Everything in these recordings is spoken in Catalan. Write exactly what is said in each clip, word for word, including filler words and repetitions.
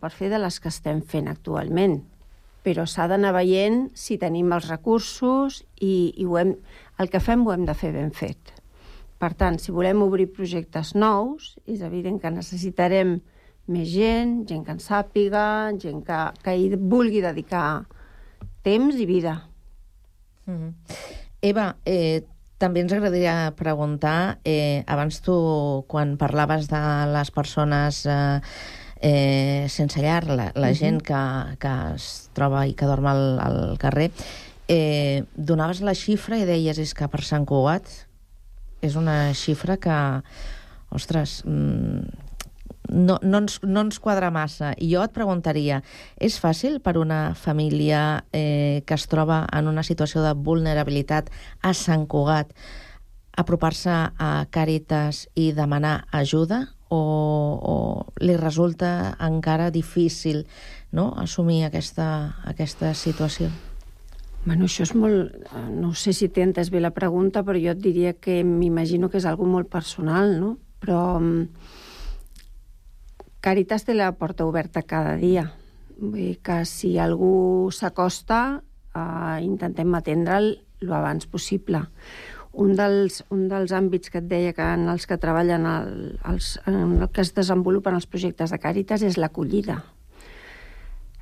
per fer de les que estem fent actualment, però s'ha d'anar veient si tenim els recursos i, i ho hem, el que fem ho hem de fer ben fet. Per tant, si volem obrir projectes nous, és evident que necessitarem més gent, gent que en sàpiga, gent que, que hi vulgui dedicar temps i vida. Mm-hmm. Eva, eh, també ens agradaria preguntar, eh, abans tu, quan parlaves de les persones eh, eh, sense llar, la, la mm-hmm. gent que, que es troba i que dorm al, al carrer, eh, donaves la xifra i deies és que per Sant Cugat és una xifra que, ostres, no, no, ens, no ens quadra massa. I jo et preguntaria, és fàcil per una família eh, que es troba en una situació de vulnerabilitat a Sant Cugat apropar-se a Càritas i demanar ajuda? O, o li resulta encara difícil, no?, assumir aquesta, aquesta situació? Bueno, això és molt... No sé si t'he entès bé la pregunta, però jo et diria que m'imagino que és algo molt personal, no? Però Càritas té la porta oberta cada dia. Vull dir que si algú s'acosta, eh, intentem atendre'l l'abans possible. Un dels, un dels àmbits que et deia que en els que treballen, el, els, en el que es desenvolupen els projectes de Càritas és l'acollida.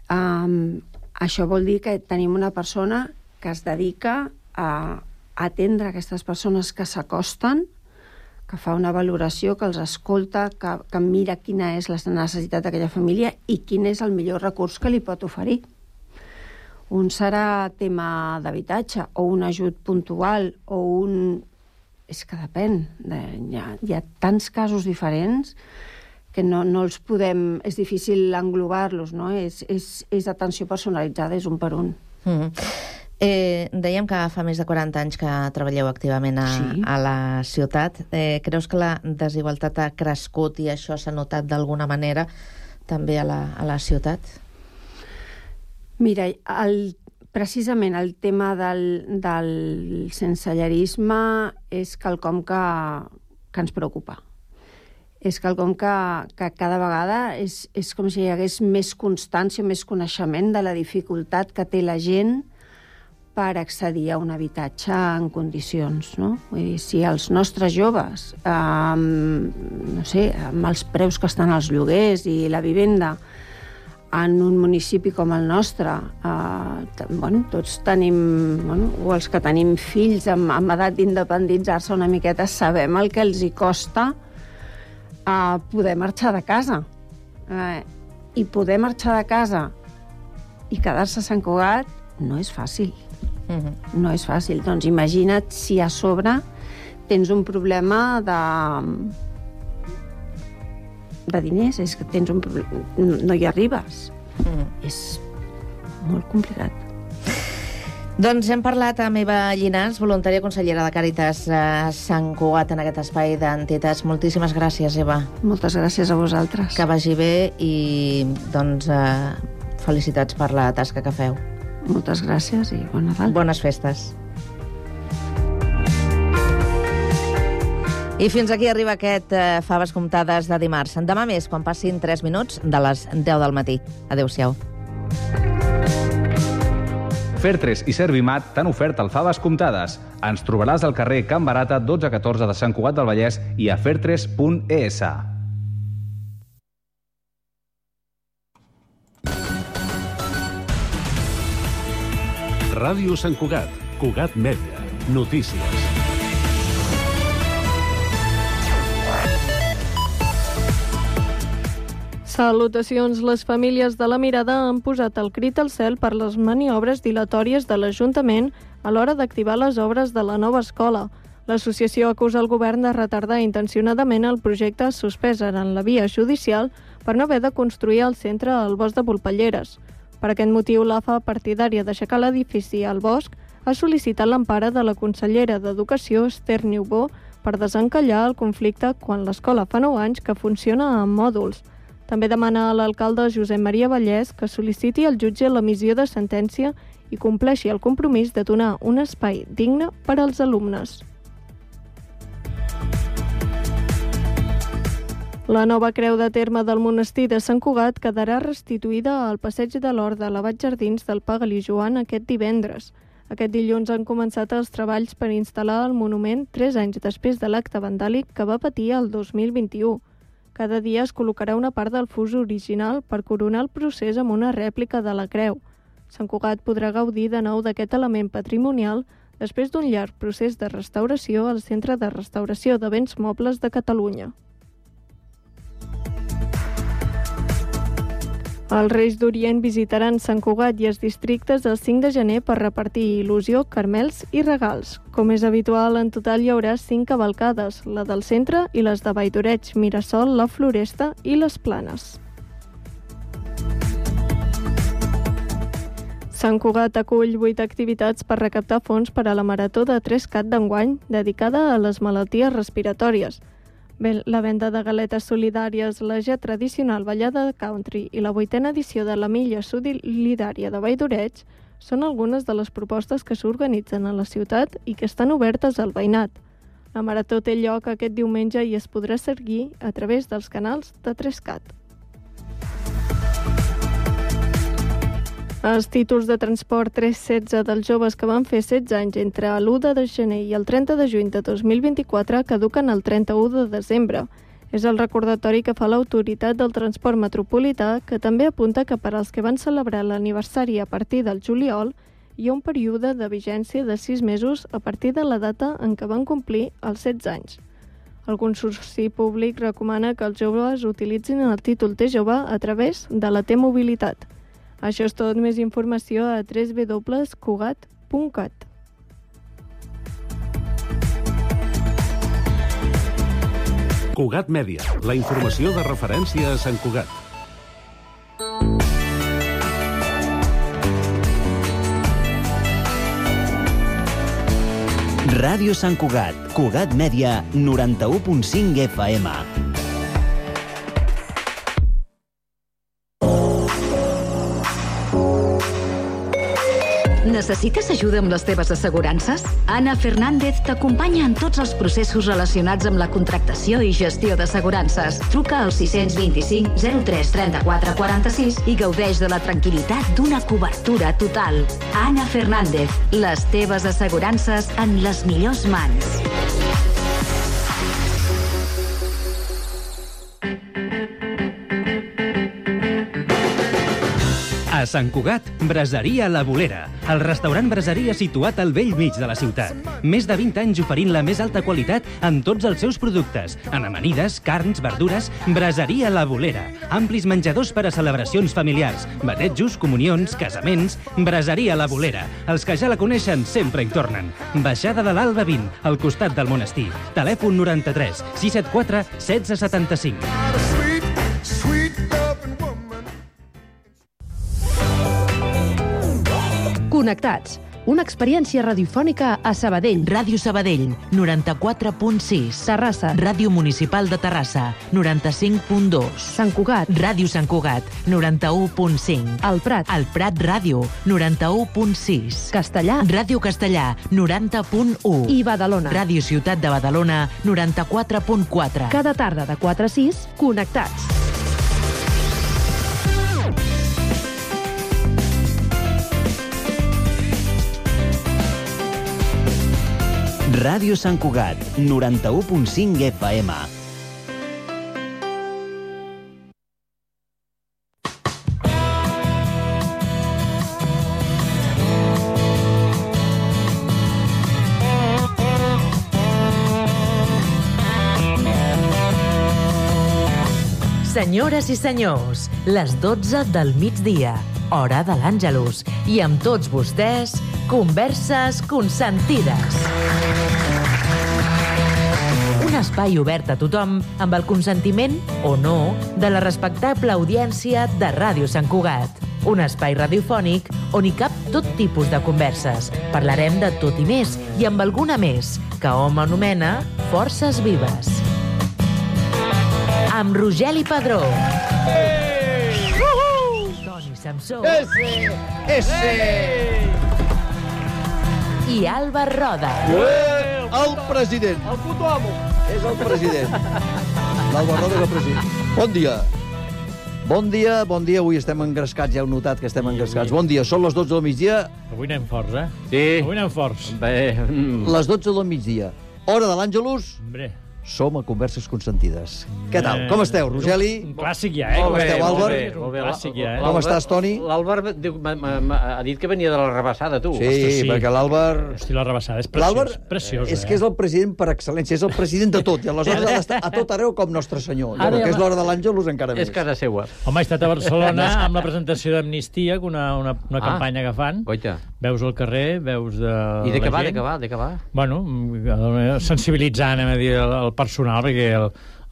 Um, Això vol dir que tenim una persona que es dedica a atendre aquestes persones que s'acosten, que fa una valoració, que els escolta, que, que mira quina és la necessitat d'aquella família i quin és el millor recurs que li pot oferir. Un serà tema d'habitatge, o un ajut puntual, o un... És que depèn. De... Hi ha, hi ha tants casos diferents que no, no els podem... És difícil englobar-los, no? És, és, és atenció personalitzada, és un per un. Mm-hmm. Eh, dèiem que fa més de quaranta anys que treballeu activament a, sí. a la ciutat. Eh, creus que la desigualtat ha crescut i això s'ha notat d'alguna manera també a la, a la ciutat? Mira, el, precisament el tema del, del sensellarisme és quelcom que, que ens preocupa. És quelcom que, que cada vegada és, és com si hi hagués més constància, més coneixement de la dificultat que té la gent per accedir a un habitatge en condicions, no? Vull dir, si els nostres joves, eh, no sé, amb els preus que estan als lloguers i la vivenda en un municipi com el nostre, eh, bueno, tots tenim, bueno, o els que tenim fills amb, amb edat d'independitzar-se una miqueta, sabem el que els hi costa a poder marxar de casa. Eh, I poder marxar de casa i quedar-se a Sant Cugat no és fàcil. Mm-hmm. No és fàcil. Doncs imagina't si a sobre tens un problema de... de diners. És que tens un problema... No hi arribes. Mm-hmm. És molt complicat. Doncs hem parlat amb Eva Llinàs, voluntària consellera de Càritas a Sant Cugat, en aquest espai d'entitats. Moltíssimes gràcies, Eva. Moltes gràcies a vosaltres. Que vagi bé i, doncs, eh, felicitats per la tasca que feu. Moltes gràcies i bon Nadal. Bones festes. I fins aquí arriba aquest eh, Faves Comptades de dimarts. Demà més, quan passin tres minuts de les deu del matí. Adéu-siau. Fertres i Servimat t'han ofert el Faves Comptades. Ens trobaràs al carrer Can Barata dotze catorze de Sant Cugat del Vallès i a fertres punt es. Ràdio Sant Cugat, Cugat Mèdia, notícies. Salutacions. Les famílies de la Mirada han posat el crit al cel per les maniobres dilatòries de l'Ajuntament a l'hora d'activar les obres de la nova escola. L'associació acusa el govern de retardar intencionadament el projecte suspès en la via judicial per no haver de construir el centre al bosc de Volpelleres. Per aquest motiu, l'A F A, partidària d'aixecar l'edifici al bosc, ha sol·licitat l'empara de la consellera d'Educació, Esther Niubó, per desencallar el conflicte quan l'escola fa nou anys que funciona amb mòduls. També demana a l'alcalde Josep Maria Vallès que sol·liciti al jutge l'emissió de sentència i compleixi el compromís de donar un espai digne per als alumnes. La nova creu de terme del monestir de Sant Cugat quedarà restituïda al passeig de l'Hort de l'Abat Jardins del Pagalí Joan aquest divendres. Aquest dilluns han començat els treballs per instal·lar el monument tres anys després de l'acte vandàlic que va patir el dos mil vint-i-u. Cada dia es col·locarà una part del fus original per coronar el procés amb una rèplica de la creu. Sant Cugat podrà gaudir de nou d'aquest element patrimonial després d'un llarg procés de restauració al Centre de Restauració de Béns Mobles de Catalunya. Els Reis d'Orient visitaran Sant Cugat i els districtes el cinc de gener per repartir il·lusió, carmels i regals. Com és habitual, en total hi haurà cinc cavalcades, la del centre i les de Valldoreig, Mirasol, la Floresta i les Planes. Sant Cugat acull vuit activitats per recaptar fons per a la Marató de Trescat d'enguany, dedicada a les malalties respiratòries. La venda de galetes solidàries, la ja tradicional ballada de country i la vuitena edició de la Milla Solidària de Valldoreig són algunes de les propostes que s'organitzen a la ciutat i que estan obertes al veïnat. La marató té lloc aquest diumenge i es podrà seguir a través dels canals de Trescat. Els títols de transport tres setze dels joves que van fer setze anys entre l'u de gener i el trenta de juny de dos mil vint-i-quatre caduquen el trenta-u de desembre. És el recordatori que fa l'autoritat del transport metropolità, que també apunta que per als que van celebrar l'aniversari a partir del juliol hi ha un període de vigència de sis mesos a partir de la data en què van complir els setze anys. El Consorci Públic recomana que els joves utilitzin el títol T jove a través de la T-Mobilitat. Això és tot, més informació a w w w punt cugat punt cat. Cugat Mèdia, la informació de referència a Sant Cugat. Ràdio Sant Cugat, Cugat Mèdia, noranta-u punt cinc F M. Necessites ajuda amb les teves assegurances? Anna Fernández t'acompanya en tots els processos relacionats amb la contractació i gestió d'assegurances. Truca al sis vint-i-cinc zero tres trenta-quatre quaranta-sis i gaudeix de la tranquil·litat d'una cobertura total. Anna Fernández, les teves assegurances en les millors mans. A Sant Cugat, Braseria La Bolera, el restaurant braseria situat al bell mig de la ciutat. Més de vint anys oferint la més alta qualitat en tots els seus productes. En amanides, carns, verdures, Braseria La Bolera. Amplis menjadors per a celebracions familiars, batejos, comunions, casaments. Braseria La Bolera. Els que ja la coneixen sempre hi tornen. Baixada de l'Alba vint, al costat del monestir. Telèfon noranta-tres sis set quatre setze setanta-cinc. Connectats, una experiència radiofònica a Sabadell. Ràdio Sabadell, noranta-quatre punt sis. Terrassa. Ràdio Municipal de Terrassa, noranta-cinc punt dos. Sant Cugat. Ràdio Sant Cugat, noranta-u punt cinc. El Prat. El Prat Ràdio, noranta-u punt sis. Castellà. Ràdio Castellà, noranta punt u. I Badalona. Ràdio Ciutat de Badalona, noranta-quatre punt quatre. Cada tarda de quatre a sis, connectats. Ràdio Sant Cugat, noranta-u punt cinc F M. Senyores i senyors, les dotze del migdia, hora de l'Àngelus, i amb tots vostès, Converses Consentides. Un espai obert a tothom amb el consentiment, o no, de la respectable audiència de Ràdio Sant Cugat. Un espai radiofònic on hi cap tot tipus de converses. Parlarem de tot i més, i amb alguna més, que hom anomena Forces Vives. Amb Rogeli Padró. Hey! Toni Samsó. Ese! Ese! I Alba Roda. Ué, el president. El puto amo. És el president. L'Alba Roda que president. Bon dia. Bon dia, bon dia. Avui estem engrescats, ja heu notat que estem engrescats. Bon dia, són les dotze del migdia. Avui anem forts, eh? Sí. Avui anem forts. Bé. Les dotze del migdia. Hora de l'Àngelus. Hombre. Som a Converses Consentides. Què tal? Com esteu, Rogeli? Un clàssic ja, eh? Com esteu, Àlvar? Molt bé, clàssic ja, eh? Com estàs, Toni? L'Àlvar ha dit que venia de la rebassada, tu. Sí, Ostres, sí. perquè l'Àlvar... Hosti, la rebassada és preciós, preciós, és que és el president per excel·lència, és el president de tot, i aleshores ha d'estar a tot arreu com Nostre Senyor. Però que és l'hora de l'Àngelus encara més. És casa seua. Home, he estat a Barcelona amb la presentació d'Amnistia, una, una, una Ah. campanya que fan. Goita. Veus al carrer, veus de I de què la va, gent. de què va, de què va? Bueno, sensibilitzant, anem a dir, el, el personal, perquè el,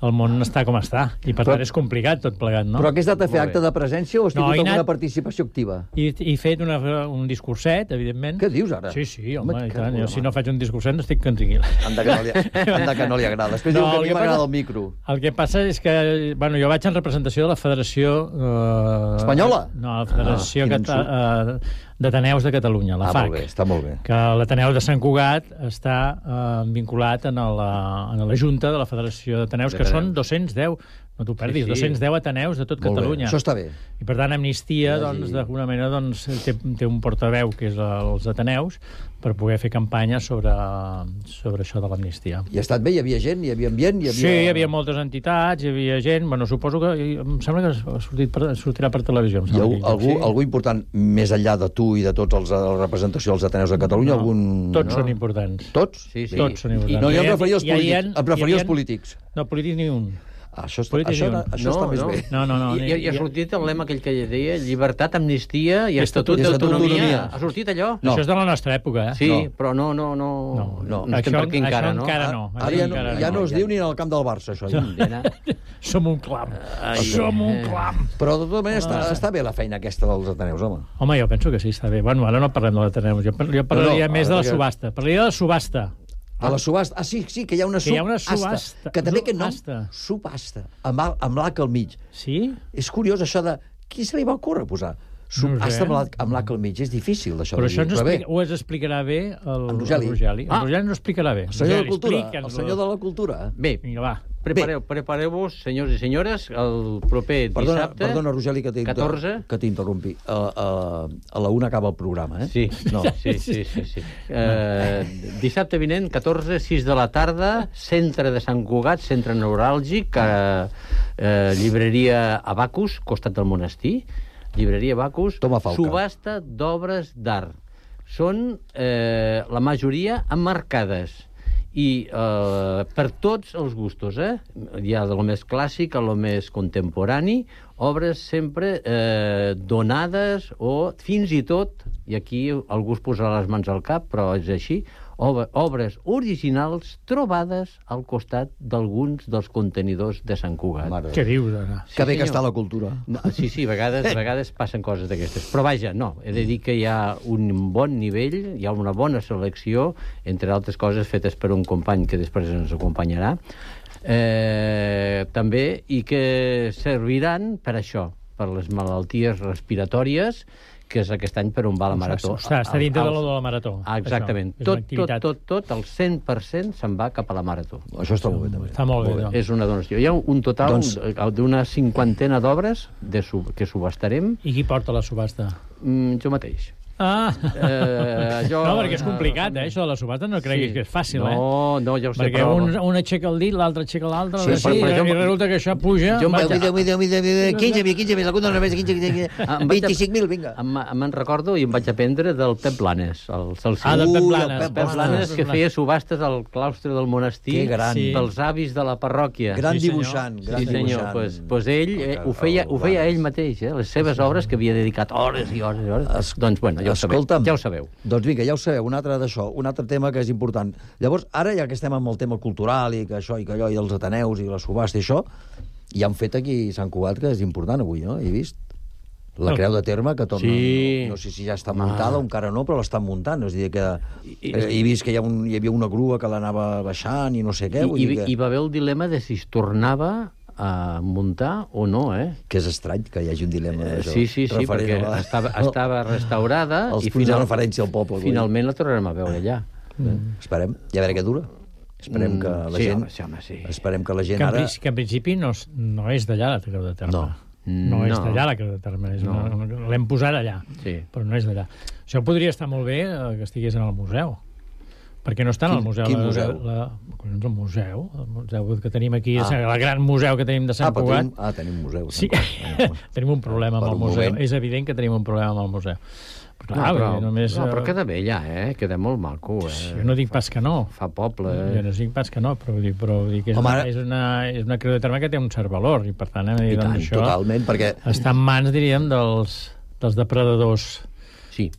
el món està com està, i per Però- tant és complicat tot plegat, no? Però què has anat a fer, acte de presència o has No, tingut he alguna anat- participació activa? I he fet una, un discurset, evidentment. Què dius, ara? Sí, sí, home, Home, i que tant. Jo, broma. si no faig un discurset no estic tranquil. Anda que no li, anda que no li agrada. Després no, diu que a el mi m'agrada passa- el micro. El que passa és que, bueno, jo vaig en representació de la Federació... Eh, Espanyola? No, la Federació Ah, quin Cata, eh, d'Ateneus de Catalunya, la Ah, F A C. molt bé, està molt bé. Que l'Ateneu de Sant Cugat està eh, vinculat en la, en la Junta de la Federació d'Ateneus, que són dos-cents deu, no t'ho perdis, Sí, sí. dos-cents deu Ateneus de tot Molt bé, Catalunya. això està bé. I per tant, Amnistia, Que hi hagi- doncs, d'alguna manera, doncs, té, té un portaveu, que és els Ateneus, per poder fer campanya sobre, sobre això de l'amnistia. I ha estat bé? Hi havia gent? Hi havia ambient? Hi havia... Sí, hi havia moltes entitats, hi havia gent... Bueno, suposo que... Em sembla que ha sortit per, sortirà per televisió. Em Hi ha sembla, aquell algú, lloc, algú important, més enllà de tu i de tots els, la representació dels Ateneus de Catalunya? No, algun... tots no? són importants. Tots? Sí, sí. Tots són importants. No, jo em Hi ha- referia als hi ha- polítics. hi ha- Em referia hi als ha- polítics. No, polítics ni un. Ah, això està, Polítics això, ni un. això està més bé. No, no, no. I, i, i ha sortit el lema aquell que deia llibertat, amnistia i I estatut estatut d'autonomia. d'autonomia. Ha sortit allò? No. Això és de la nostra època, eh? Sí, No. però no, no, no... No, no. no estem Això- per aquí encara, això no? encara no. Ara ja no, Encara ja no no, es ja. diu ni en el camp del Barça, això. Ja. Nena. Som un clam. Ai, Som un eh. clam. Però de tota manera està, està bé la feina aquesta dels Ateneus, home. Home, jo penso que sí, està bé. Bueno, ara no parlem de l'Ateneu. Jo, par- jo parlaria No, no, més de la perquè- subhasta. Parlaria de la subhasta. De la subhasta. Ah, sí, sí, que hi ha una Que hi ha una subhasta. subhasta. Que també aquest nom, Subhasta. subhasta, amb, a- amb l'H al mig. Sí? És curiós això de... Qui se li va ocórrer posar? Subhasta amb l'H amb l'H al mig. És difícil, això Però de això dir. ens Però bé, explica, ho ens explicarà bé el, En Rogeli. el Rogeli. Ah. El Rogeli ens ho explicarà bé. el senyor de la Rogeli, cultura. El explica'ns-ho. senyor de la cultura. Bé, Vinga, va. prepareu, prepareu-vos, senyors i senyores, el proper Perdona, dissabte... perdona, Rogeli, que t'inter- catorze. que t'interrompi. A, a, a la una acaba el programa, eh? Sí, No. sí, sí, sí, sí. Eh, dissabte vinent, catorze, sis de la tarda, centre de Sant Cugat, centre neuràlgic, eh, eh, llibreria Abacus, costat del monestir, llibreria Abacus, Toma Falca. subhasta d'obres d'art. Són, eh, la majoria, emmarcades i eh, per tots els gustos, eh? Hi ha de lo més clàssic a lo més contemporani, obres sempre eh, donades o fins i tot, i aquí algú es posarà les mans al cap, però és així, ob obres originals trobades al costat d'alguns dels contenidors de Sant Cugat. Mare. Què dius, ara? Que bé que senyor. està la cultura. No, sí, sí, a vegades, a vegades passen coses d'aquestes. Però vaja, no, he de dir que hi ha un bon nivell, hi ha una bona selecció, entre altres coses fetes per un company que després ens acompanyarà, eh, també, i que serviran per això, per les malalties respiratòries, que és aquest any per on va la marató. Està, està dintre de Al- lo de la marató. Ah, exactament. Això, és una Tot, tot, activitat. tot, tot, el cent per cent se'n va cap a la marató. Això està molt bé, també. Està molt bé, doncs. És una donació. Hi ha un total Doncs- d'una cinquantena d'obres de sub, que subhastarem. I qui porta la subhasta? Mm, jo mateix. Ah! Eh, jo- No, perquè és complicat, eh? Això de la subhasta no creguis Sí. que és fàcil, eh? No, no, ja ho sé, Perquè però- un, un aixeca el dit, l'altre aixeca l'altre, Sí, sí, però- sí, però jo- i resulta que això puja... jo em vaig- vaja. Mira, mira, mira, mira, quinze mil, quinze mil, algun de només, quinze, quinze, quinze, Em vaig a- vint-i-cinc mil, vinga. Em, me'n recordo i em vaig aprendre del Pep Blanes, el Celsi. Ah, del Pep Ui, el Blanes. Pep Pep Blanes, Ostres, que feia subhastes al claustre del monestir Que gran. Sí. pels avis de la parròquia. Gran Sí, senyor. dibuixant, gran Sí, senyor, dibuixant. pues, pues ell eh, ho, feia, ho feia ell mateix, eh? Les seves obres, que havia dedicat hores i hores i hores. Es- Doncs, bueno, ja ho sabeu. Escolta'm. Ja ho sabeu. Doncs vinga, ja ho sabeu, un altre d'això, un altre tema que és important. Llavors, ara, ja que estem amb el tema cultural i que això i que allò, i els Ateneus i la subhasta i això, ja han fet aquí Sant Cugat, que és important avui, no? He vist? La creu de terme, que torna... Sí. No, no sé si ja està muntada o encara no, però l'estan muntant. És a dir, que I- eh, he vist que hi, ha un, hi havia una grua que l'anava baixant i no sé què. I, Vull i, dir que, hi va haver el dilema de si es tornava a muntar o no, eh? que és estrany que hi hagi un dilema Eh, d'això. sí, sí, sí, referent perquè a la- estava, estava restaurada Els i punts de final, referència al poble. vull dir. finalment la tornarem a veure allà. Mm. Esperem. I a veure què dura. Esperem que la sí, gent... Home, sí, home, sí. Esperem que la gent que en, ara... Que en principi no, no és d'allà la Creu de Terme. No. No és No. d'allà la Creu de Terme. És No. una, l'hem posat allà, Sí. però no és d'allà. Això podria estar molt bé eh, que estigués en el museu. Perquè no està en el Quin- museu. quin la- museu? La, la, el museu, el museu que tenim aquí, Ah. el gran museu que tenim de Sant Ah, però Cugat. tenim, ah, tenim museu. Sí, Sant Cugat. tenim un problema Per amb el un museu. moment. És evident que tenim un problema amb el museu. Però, No, clar, però, perquè només, no, però eh, queda bé allà, eh? Queda molt maco, eh? Jo no dic pas que no. Fa poble, Jo eh? no dic pas que no, però vull dir, però vull dir que és, Home, una, ara- és, una, és una creu de terme que té un cert valor, i per tant, hem de dir, I tant, doncs, això totalment, perquè... està en mans, diríem, dels, dels depredadors. Sí,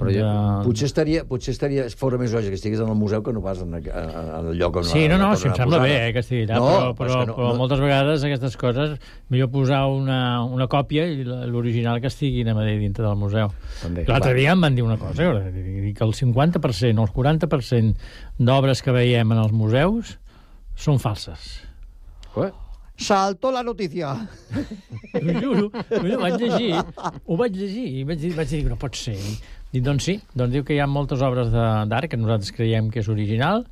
però jo... de... Potser estaria, potser estaria fora més lògic que estigués en el museu que no pas en, en, en el lloc on Sí, no, no, on si em ha sembla posada. bé eh, que estigui allà, No, però, però és però, que no- però no- moltes vegades aquestes coses millor posar una, una còpia i la- l'original que estigui a dir dintre del museu. També. L'altre dia em van dir una cosa, que que el cinquanta per cent o el quaranta per cent d'obres que veiem en els museus són falses. Eh? Saltó la notícia. Ho juro, ho vaig llegir, ho vaig llegir i vaig dir, vaig dir no pot ser. Dic, doncs sí, doncs diu que hi ha moltes obres de- d'art que nosaltres creiem que és original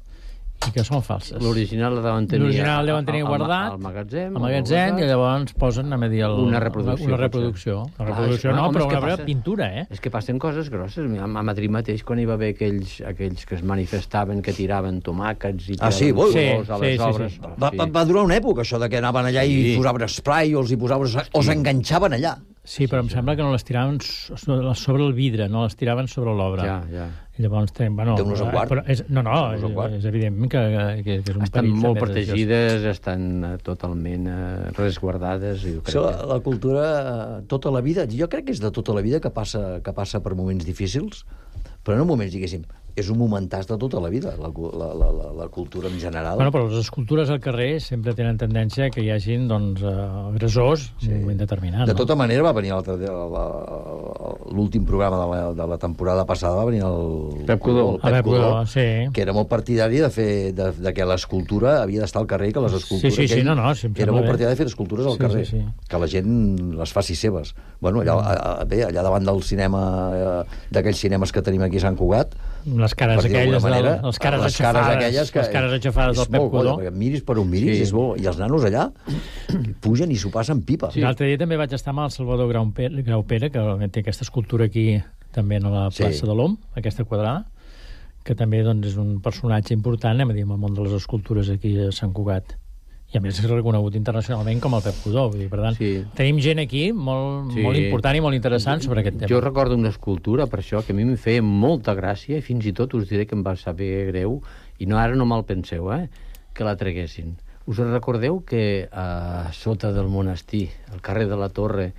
i que són falses. L'original la deuen tenir... L'original el deuen tenir al- al- guardat Al magatzem. al magatzem i llavors posen a dir el, Una reproducció, una potser. reproducció. Una Clar, reproducció és- no, home, però és que una passa- pintura, eh? És que passen coses grosses. A a Madrid mateix, quan hi va haver aquells, aquells que es manifestaven, que tiraven tomàquets i Ah, sí, tiraven vol? colors Sí, a les sí, sí, obres. sí. Va, va, va durar una època, això, de que anaven allà Sí. i posaven spray o els hi posaven... o s'enganxaven allà. Sí, però em sembla que no les tiraven so- sobre el vidre, no les tiraven sobre l'obra. Ja, ja. I llavors, ten, bueno, Déu-nos en guard. però és, no, no, és, Déu-nos en guard. és evident que, que, que és un Estan perill. molt també, protegides, estan eh, totalment eh, resguardades. I jo crec Això, que... la cultura, eh, tota la vida, jo crec que és de tota la vida que passa, que passa per moments difícils, però no moments, diguéssim, és un momentàs de tota la vida, la, la, la, la, la cultura en general. Bueno, però les escultures al carrer sempre tenen tendència que hi hagin doncs, uh, agressors sí. en un moment determinat. De no? tota manera, va venir l'altre dia, la- la- l'últim programa de la, de la temporada passada, va venir el, Pep Codó. el A Pep Codó, sí. que era molt partidari de, fer, de, de que l'escultura havia d'estar al carrer, que les escultures... Sí, sí, sí, que ell no, no, sí, em era sembla molt bé. partidari de fer escultures al Sí, carrer, sí, sí. que la gent les faci seves. Bueno, allà, a, a, bé, allà davant del cinema, eh, d'aquells cinemes que tenim aquí a Sant Cugat, Les cares per dir d'alguna aquelles, del, manera, les cares les cares aixafades, aquelles que les cares aixafades és del Pep molt bo, Codó. perquè miris per on miris, Sí. és bo. I els nanos allà pugen i s'ho passen pipa. Sí. L'altre dia també vaig estar amb el Salvador Graupera, Graupera que té aquesta escultura aquí també a la Sí. plaça de l'Om, aquesta quadrada, que també doncs, és un personatge important, anem a dir, en el món de les escultures aquí a Sant Cugat. I a més és reconegut internacionalment com el Pep Codó. Vull dir, per tant, Sí. tenim gent aquí molt, Sí. molt important i molt interessant sobre aquest tema. Jo recordo una escultura, per això, que a mi em feia molta gràcia, i fins i tot us diré que em va saber greu, i no ara no me'l penseu, eh, que la traguessin. Us recordeu que a sota del monestir, al carrer de la Torre,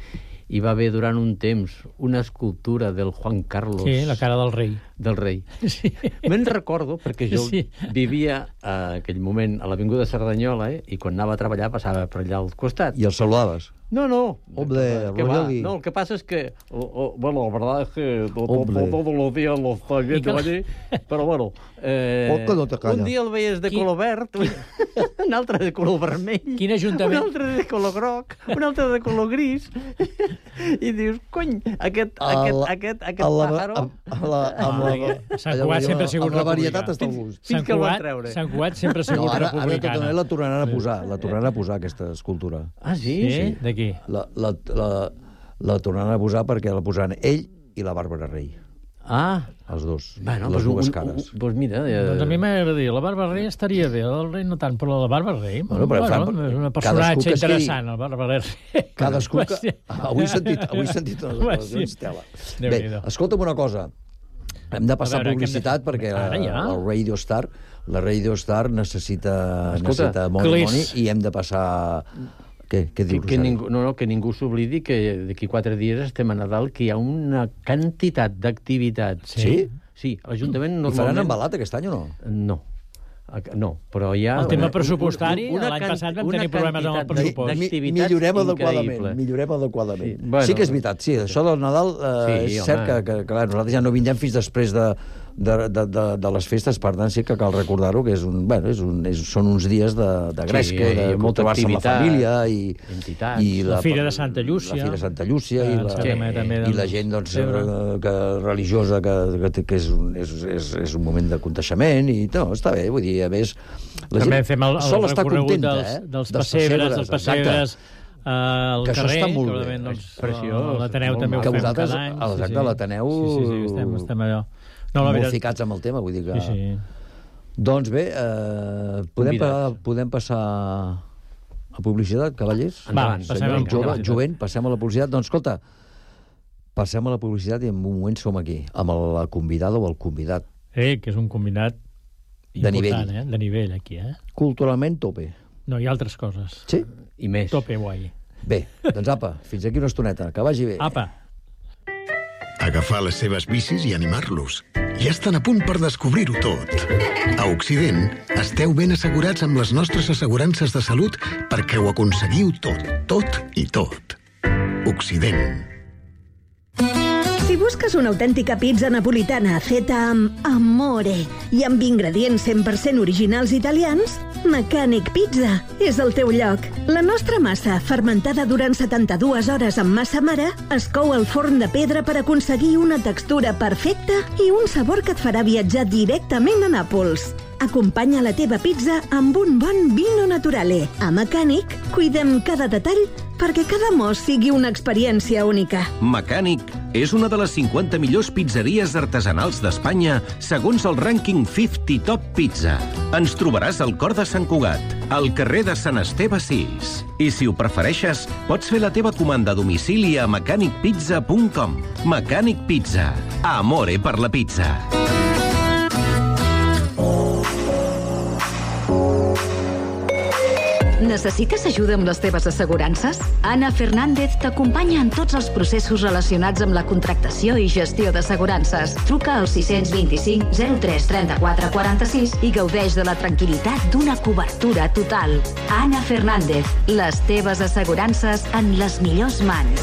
hi va haver durant un temps una escultura del Juan Carlos... Sí, la cara del rei. Del rei. Sí. Me'n recordo, perquè jo Sí. vivia a aquell moment a l'Avinguda Cerdanyola, eh, i quan anava a treballar passava per allà al costat. I els saludaves. No, no. Hombre, ¿Qué va? Rogelio. No, lo que pasa es que, o- o- bueno, la verdad es que to- to- Hombre. todos los días lo estoy viendo allí, pero bueno, eh, ¿Por qué no te callas? un dia el veies de Qui- color verd, un altre de color vermell, Quin ajuntament? un altre de color groc, un altre de color gris, i dius, cony, aquest, aquest, El- aquest, aquest el- pàjaro... amb- amb la- amb la- Sant allò Cugat que sempre ha diuen, sigut amb la republicà. varietat està al gust. Fins Sant que el van Cugat, treure. Sant Cugat sempre ha No, sigut ara, ara de tota republicana. manera la tornaran a posar, la tornaran a posar, aquesta escultura. Ah, sí? Sí? D'aquí? La, la, la, la tornaran a posar perquè la posaran ell i la Bàrbara Rei. Ah, Els dos. bueno, les pues, dues un, cares. un, pues mira... Eh, Doncs a mi m'agradaria. La Bàrbara Rei estaria bé, el rei no tant, però la Bàrbara Rei... Bueno, però fan- és un cadascú personatge que es quedi- interessant, el Bàrbara Rei. Cadascú que... Sí. Avui he sentit, avui he sentit unes Home, declaracions, sí. tela. Déu-n'hi-do. Bé, escolta'm una cosa. Hem de passar A veure, publicitat què hem de fer? perquè Ara ja? el Radio Star, la Radio Star necessita, Escolta, necessita money, Clis. money i hem de passar... Què, què Que, dius, que, Roser? ningú, no, no, que ningú s'oblidi que d'aquí quatre dies estem a Nadal, que hi ha una quantitat d'activitats. Sí? Sí, l'Ajuntament I normalment... faran embalat aquest any o no? No. Ac- No, però hi ha... El tema una- pressupostari, una l'any can- passat vam una tenir problemes amb el quantitat pressupost. Mi, d'activitats millorem adequadament, increïble. millorem adequadament. Sí, Sí, bueno. sí que és veritat, sí, això del Nadal eh, Sí, és home. cert que, que, que clar, nosaltres ja no vindrem fins després de, de, de, de, de les festes. Per tant, sí que cal recordar-ho, que és un, bueno, és un, és, són uns dies de, de gresca, sí, de molt trobar-se amb la família, i, i la, la Fira de Santa Llúcia, la Fira de Santa Llúcia, eh, i, la, sí, i la gent doncs, que, religiosa, que, que, que és, un, és, és, és un moment de contaixement, i no, està bé, vull dir, a més, la també gent fem el, el sol estar contenta, dels, eh? dels pessebres, dels pessebres, al que carrer, això està molt que bé. Doncs, preciós. L'Ateneu també ho fem cada any. Exacte, sí, sí. l'Ateneu... Sí, sí, sí, estem, estem allò. No, molt veritat... ficats amb el tema, vull dir que... Sí, sí. Doncs bé, eh, podem, pa, podem passar a publicitat, cavallers? Va, passem a la publicitat. Jovent, passem a la publicitat. Doncs escolta, passem a la publicitat i en un moment som aquí, amb la convidada o el convidat. Eh, que és un convidat de nivell. Eh? De nivell, aquí, eh? Culturalment tope. No, hi ha altres coses. Sí? I més. Tope guai. Bé, doncs apa, fins aquí una estoneta. Que vagi bé. Apa. Agafar les seves bicis i animar-los. Ja estan a punt per descobrir-ho tot. A Occident, esteu ben assegurats amb les nostres assegurances de salut perquè ho aconseguiu tot, tot i tot. Occident. Si busques una autèntica pizza napolitana feta amb amore i amb ingredients cent per cent originals italians, Mecànic Pizza és el teu lloc. La nostra massa, fermentada durant setanta-dues hores amb massa mare, es cou al forn de pedra per aconseguir una textura perfecta i un sabor que et farà viatjar directament a Nàpols. Acompanya la teva pizza amb un bon vino naturale. A Mecànic, cuidem cada detall perquè cada mos sigui una experiència única. Mecànic és una de les cinquanta millors pizzeries artesanals d'Espanya segons el rànquing cinquanta Top Pizza. Ens trobaràs al cor de Sant Cugat, al carrer de Sant Esteve sis. I si ho prefereixes, pots fer la teva comanda a domicili a mecànic pizza punt com. Mecànic Pizza. Amore per la pizza. Necessites ajuda amb les teves assegurances? Ana Fernández t'acompanya en tots els processos relacionats amb la contractació i gestió d'assegurances. Truca al sis dos cinc zero tres tres quatre quatre sis i gaudeix de la tranquil·litat d'una cobertura total. Ana Fernández, les teves assegurances en les millors mans.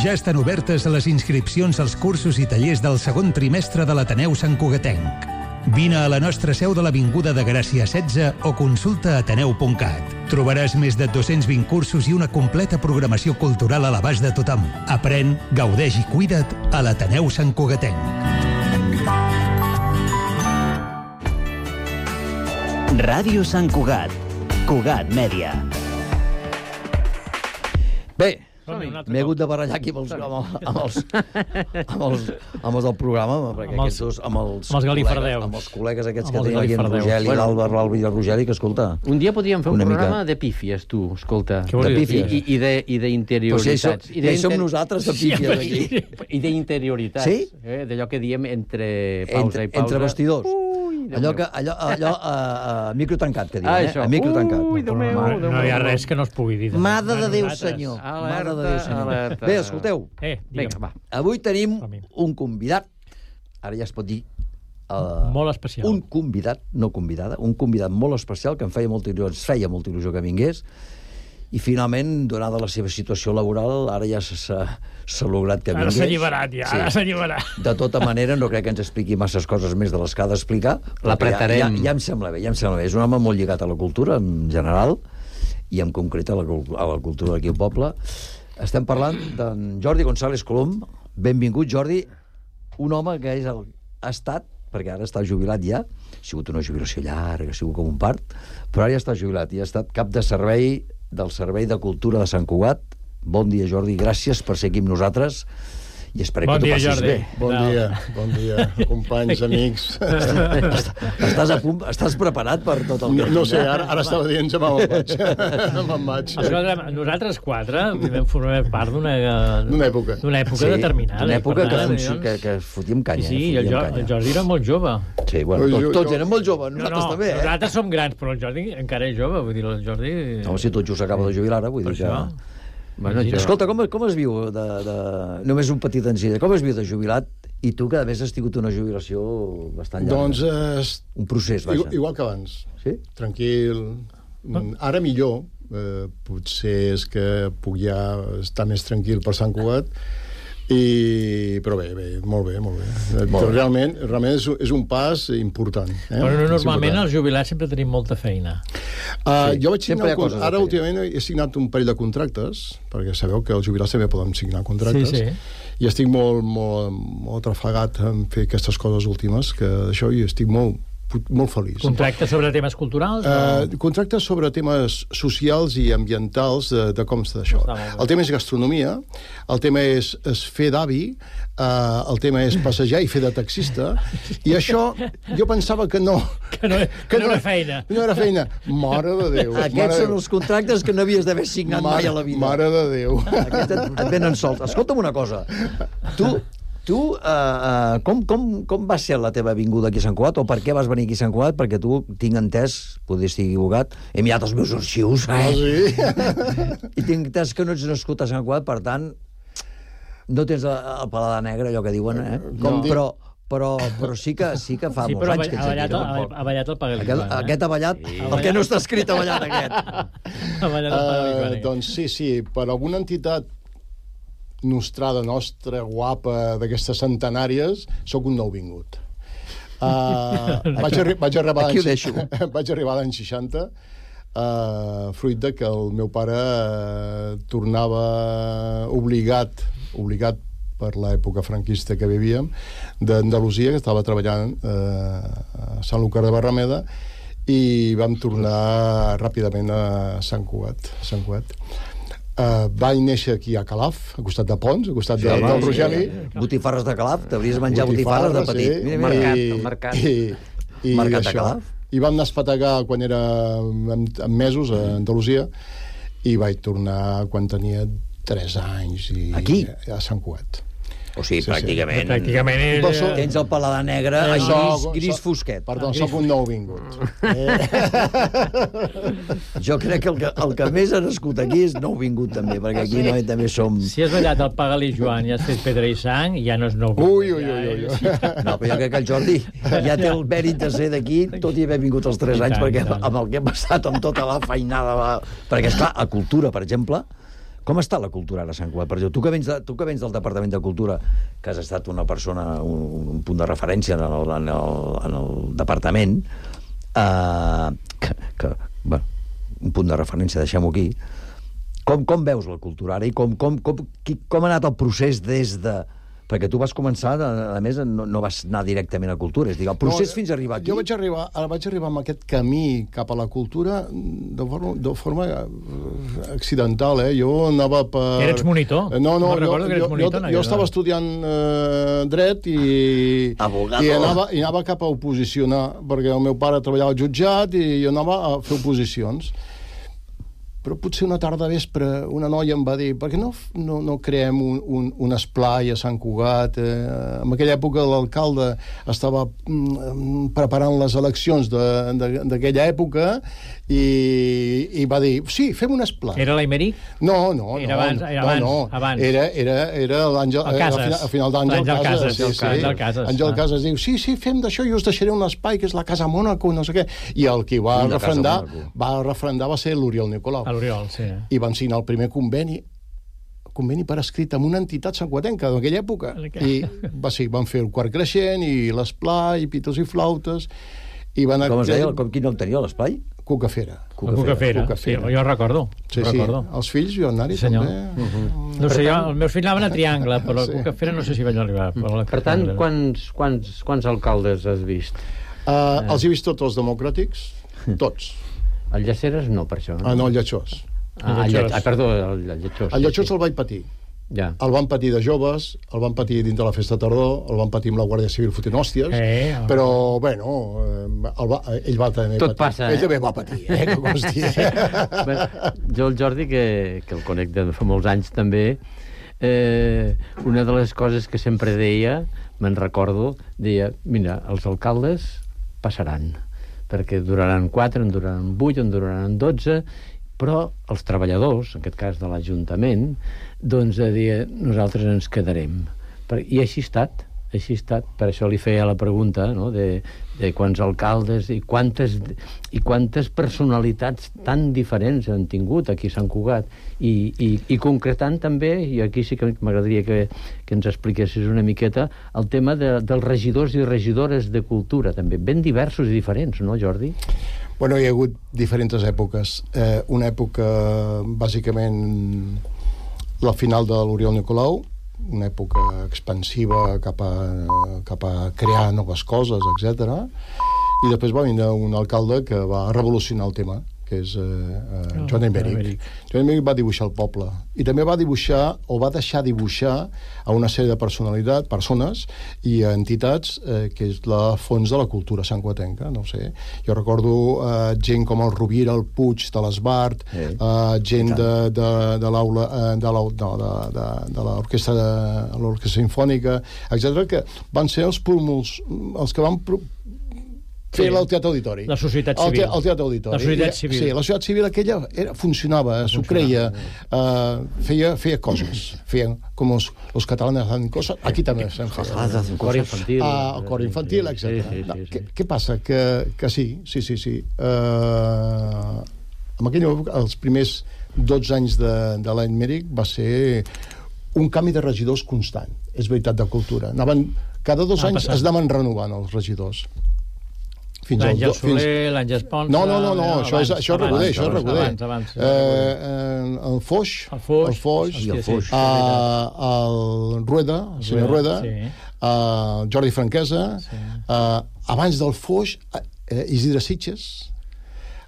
Ja estan obertes les inscripcions als cursos i tallers del segon trimestre de l'Ateneu Sant Cugatenc. Vine a la nostra seu de l'Avinguda de Gràcia setze o consulta ateneu punt cat. Trobaràs més de dos-cents vint cursos i una completa programació cultural a l'abast de tothom. Aprèn, gaudeix i cuida't a l'Ateneu Sant Cugatenc. Ràdio Sant Cugat. Cugat Mèdia. Bé, m'he hagut de barallar aquí amb els, amb els, amb els, amb els del programa, perquè amb els, aquests dos, amb els, amb els galifardeus. Amb els col·legues aquests amb que tenen aquí en Rogeli, bueno, l'Alba, l'Alba i el Rogeli, que escolta... Un dia podríem fer un programa mica... de pífies, tu, escolta. De pífies? I, i, de, i d'interioritats. Pues ja hi som nosaltres de pífies, aquí. I d'interioritats. Sí? Eh, d'allò que diem entre pausa entre, i pausa. Entre vestidors. Allò, que, allò, allò a, a micro tancat, que diuen, ah, eh? A micro tancat. Ui, Déu meu, Déu meu. No hi ha res que no es pugui dir. Mare de Déu, senyor. Mare de Déu, senyor. Alerta. Bé, escolteu. Eh, Vinga, va. Avui tenim un convidat, ara ja es pot dir... Uh, molt especial. Un convidat, no convidada, un convidat molt especial que em feia molta il·lusió, ens feia molta il·lusió que vingués, i finalment, donada la seva situació laboral, ara ja s'ha lograt que vingués. Ara s'ha alliberat, ja, sí. Ara s'ha alliberat. De tota manera, no crec que ens expliqui masses coses més de les que ha d'explicar. L'apretarem. Ja, ja, ja em sembla bé, ja em sembla bé. És un home molt lligat a la cultura, en general, i en concret a la, a la cultura d'aquí al poble. Estem parlant d'en Jordi González Colom. Benvingut, Jordi. Un home que és el, ha estat, perquè ara està jubilat ja, ha sigut una jubilació llarga, ha sigut com un part, però ara ja està jubilat i ha estat cap de servei del Servei de Cultura de Sant Cugat. Bon dia, Jordi, gràcies per ser aquí amb nosaltres i esperem bon que t'ho passis Jordi. Bé. Bon no. dia, bon dia, companys, amics. Estàs a punt, estàs preparat per tot el que... No, no sé, ara, ara estava dient, ja me'n vaig. me'n vaig. Escolta, nosaltres quatre vam formar part d'una... D'una època. D'una època sí, determinada. D'una època que, funci... que, que fotíem canya. Sí, sí, eh? el, jo, el Jordi era molt jove. Sí, bueno, tots, tots eren molt joves, nosaltres no, no, també, eh? Nosaltres som grans, però el Jordi encara és jove, vull dir, el Jordi... No, si tot just s'acaba de jubilar ara, vull dir que... Bueno, jo... Escolta, com, com es viu de, de... només un petit encida, com es viu de jubilat i tu que a més has tingut una jubilació bastant llarga? Doncs... Eh, un procés, vaja. Igual, igual que abans. Sí? Tranquil. Ah. Ara millor, eh, potser és que puc ja estar més tranquil per Sant Cugat, i... però bé, bé, molt bé, molt bé. Molt realment, realment és, és un pas important. Eh? Però normalment els jubilats sempre tenim molta feina. Uh, sí, jo vaig signar un, ara últimament he signat un parell de contractes, perquè sabeu que els jubilats també poden signar contractes, sí, sí. i estic molt, molt, molt atrafegat en fer aquestes coses últimes, que d'això i estic molt, molt feliç. Contractes sobre temes culturals? Uh, o... Contractes sobre temes socials i ambientals de, de com està això. El tema és gastronomia, el tema és, és fer d'avi, uh, el tema és passejar i fer de taxista, i això jo pensava que no... Que no, que no, no era feina. No era feina. Mare de Déu. Aquests són els contractes que no havies d'haver signat mare, mai a la vida. Mare de Déu. Aquests et, et venen sols. Escolta'm una cosa. Tu... Tu, uh, uh, com, com, com va ser la teva vinguda aquí a Sant Cugat? O per què vas venir aquí a Sant Cugat? Perquè tu, tinc entès, podria estar equivocat, he mirat els meus arxius, eh? Ah, sí? I tinc entès que no ets nascut a Sant Cugat, per tant, no tens el, el paladar negre, allò que diuen, eh? Com no. Però, però, però sí que, sí que fa sí, molts anys que ets avallat, aquí. No? Avallat el Pagalí. Aquest, eh? aquest avallat, sí. El que no està escrit avallat, aquest. Avallat el Pagalí. Uh, doncs sí, sí, per alguna entitat nostrada nostra, guapa, d'aquestes centenàries, sóc un nouvingut. Uh, vaig, arri vaig arribar Aquí ho deixo. Vaig arribar l'any seixanta, uh, fruit de que el meu pare uh, tornava obligat, obligat per l'època franquista que vivíem, d'Andalusia, que estava treballant uh, a Sant Lucar de Barrameda, i vam tornar ràpidament a Sant Cugat. A Sant Cugat. Uh, vaig néixer aquí a Calaf, a costat de Pons, a costat sí, de, del Rogeli. Sí. Botifarres de Calaf, t'hauries de menjar botifarres, botifarres de petit. Sí. Mira, mira. El mercat, el mercat. I, i mercat de Calaf. I vam anar a espetegar quan era amb, amb mesos a Andalusia, i vaig tornar quan tenia tres anys i, aquí? A Sant Cugat. O sigui, sí, pràcticament... Sí. Pràcticament és... So, tens el paladar negre, eh, gris, so, gris so, fosquet. Perdó, ah, soc un nou vingut. Eh. Jo crec que el, que el que més ha nascut aquí és nou vingut, també, perquè aquí sí. Noi també som... Si has ballat el Pagalí, Joan, i has fet pedra i sang, ja no és nou vingut. Ui, ui, ui, ui. ui. No, però jo crec que el Jordi ja té el mèrit de ser d'aquí, tot i haver vingut els tres anys, perquè amb el que hem passat, amb tota la feinada... La... Perquè, esclar, a Cultura, per exemple... Com està la cultura ara a Sant Cugat? Per exemple, tu que vens, de, tu que vens del Departament de Cultura, que has estat una persona, un, un punt de referència en el, en el, en el departament, eh, que, que, bueno, un punt de referència, deixem-ho aquí, com, com veus la cultura ara i com, com, com, com ha anat el procés des de... Perquè tu vas començar, a més, no, no vas anar directament a cultura, és a dir, el procés no, fins a arribar aquí... Jo vaig arribar, vaig arribar amb aquest camí cap a la cultura de forma, de forma accidental, eh? Jo anava per... Eres monitor? No, no, no jo, recordo que eres jo, monitor. Jo, jo estava estudiant eh, dret i, i, anava, i anava cap a oposicionar, perquè el meu pare treballava al jutjat i jo anava a fer oposicions. Però potser una tarda vespre una noia em va dir per què no, no, no creem un, un, un esplai a Sant Cugat? Eh, en aquella època l'alcalde estava mm, preparant les eleccions d'aquella època i, i va dir, sí, fem un esplai. Era l'Aimeric? No, no, era no. Abans, era abans, no, no. abans. Era, era, era l'Àngel... El Casas. A final d'Àngel Casas. Casas. Sí, sí. Àngel Casas. Àngel Casas diu, sí, sí, fem d'això i us deixaré un espai que és la Casa Mònaco, no sé què. I el que va refrendar, va refrendar va ser l'Oriol Nicolau. L'Oriol, sí. I van signar el primer conveni conveni per escrit amb una entitat santcugatenca d'aquella època. I va, sí, van fer el quart creixent i l'esplai, i pitos i flautes. I van com es deia? Com, quin nom tenia l'esplai? Cucafera. Cucafera, Cucafera. Sí, jo recordo. Sí, sí. Recordo. Els fills jo anar-hi sí, també. Uh -huh. No sé, jo, els meus fills anaven a Triangle, però sí. Cucafera no sé si vaig arribar. Per, per tant, quants, quants, quants alcaldes has vist? Uh, eh. Els he vist tots els democràtics, tots. El Llaceres no, per això. No? Ah, no, el Lletxós. Ah, el ah, perdó, el, el Lletxós. El Lletxós sí, el vaig patir. Ja. El van patir de joves, el van patir dins de la festa tardor, el van patir amb la Guàrdia Civil fotent hòsties, eh, oh. però, bueno, el va, ell va també tot patir. Passa, ell eh? també va patir, eh? Com es Bé, jo, el Jordi, que, que el conec de fa molts anys també, eh, una de les coses que sempre deia, me'n recordo, deia, mira, els alcaldes passaran, perquè duraran quatre, en duraran vuit, en duraran dotze, però els treballadors, en aquest cas de l'Ajuntament, doncs a dir, nosaltres ens quedarem. I així ha estat, així ha estat. Per això li feia la pregunta, no?, de, de quants alcaldes i quantes, i quantes personalitats tan diferents han tingut aquí a Sant Cugat. I, i, i concretant també, i aquí sí que m'agradaria que, que ens expliquessis una miqueta, el tema de, dels regidors i regidores de cultura, també, ben diversos i diferents, no, Jordi? Bueno, hi ha hagut diferents èpoques. Eh, una època, bàsicament, la final de l'Oriol Nicolau, una època expansiva cap a, cap a crear noves coses, etcètera. I després va venir un alcalde que va revolucionar el tema, que és eh, eh, Joan Emeric. Joan Emeric va dibuixar el poble. I també va dibuixar, o va deixar dibuixar a una sèrie de personalitats, persones i entitats, eh, que és la fons de la cultura santcugatenca, no ho sé. Jo recordo eh, gent com el Rovira, el Puig de l'Esbart, eh, gent de, de, de l'aula, eh, de la, no, de, de, de l'orquestra de l'orquestra sinfònica, etcètera, que van ser els pulmons, els que van fer sí. el Teatre Auditori. La societat civil. El, te, el Teatre Auditori. La societat civil. Sí, la societat civil aquella era, funcionava, s'ho creia, uh, feia, feia coses. Feien, com els, els catalans fan coses, aquí també fem coses. Ah, el cor infantil. Ah, el cor infantil, etcètera. Sí, sí, sí, no, sí. Què, què passa? Que, que sí, sí, sí, sí. Uh, en aquella època, els primers dotze anys de, de l'any Mèric va ser un canvi de regidors constant, és veritat, de cultura. Anaven, cada dos ah, anys passant. Es anaven renovant els regidors. L'Àngel Soler, l'Àngel Pons... No, no, no, no, això és, això és Reguder, això és Reguder. Abans, abans. Eh, el Foix, el Foix, el Foix, hòstia, el, Foix. Uh, el Rueda, el senyor Rueda, sí. uh, Jordi Franquesa, sí. uh, abans del Foix, uh, Isidre Sitges,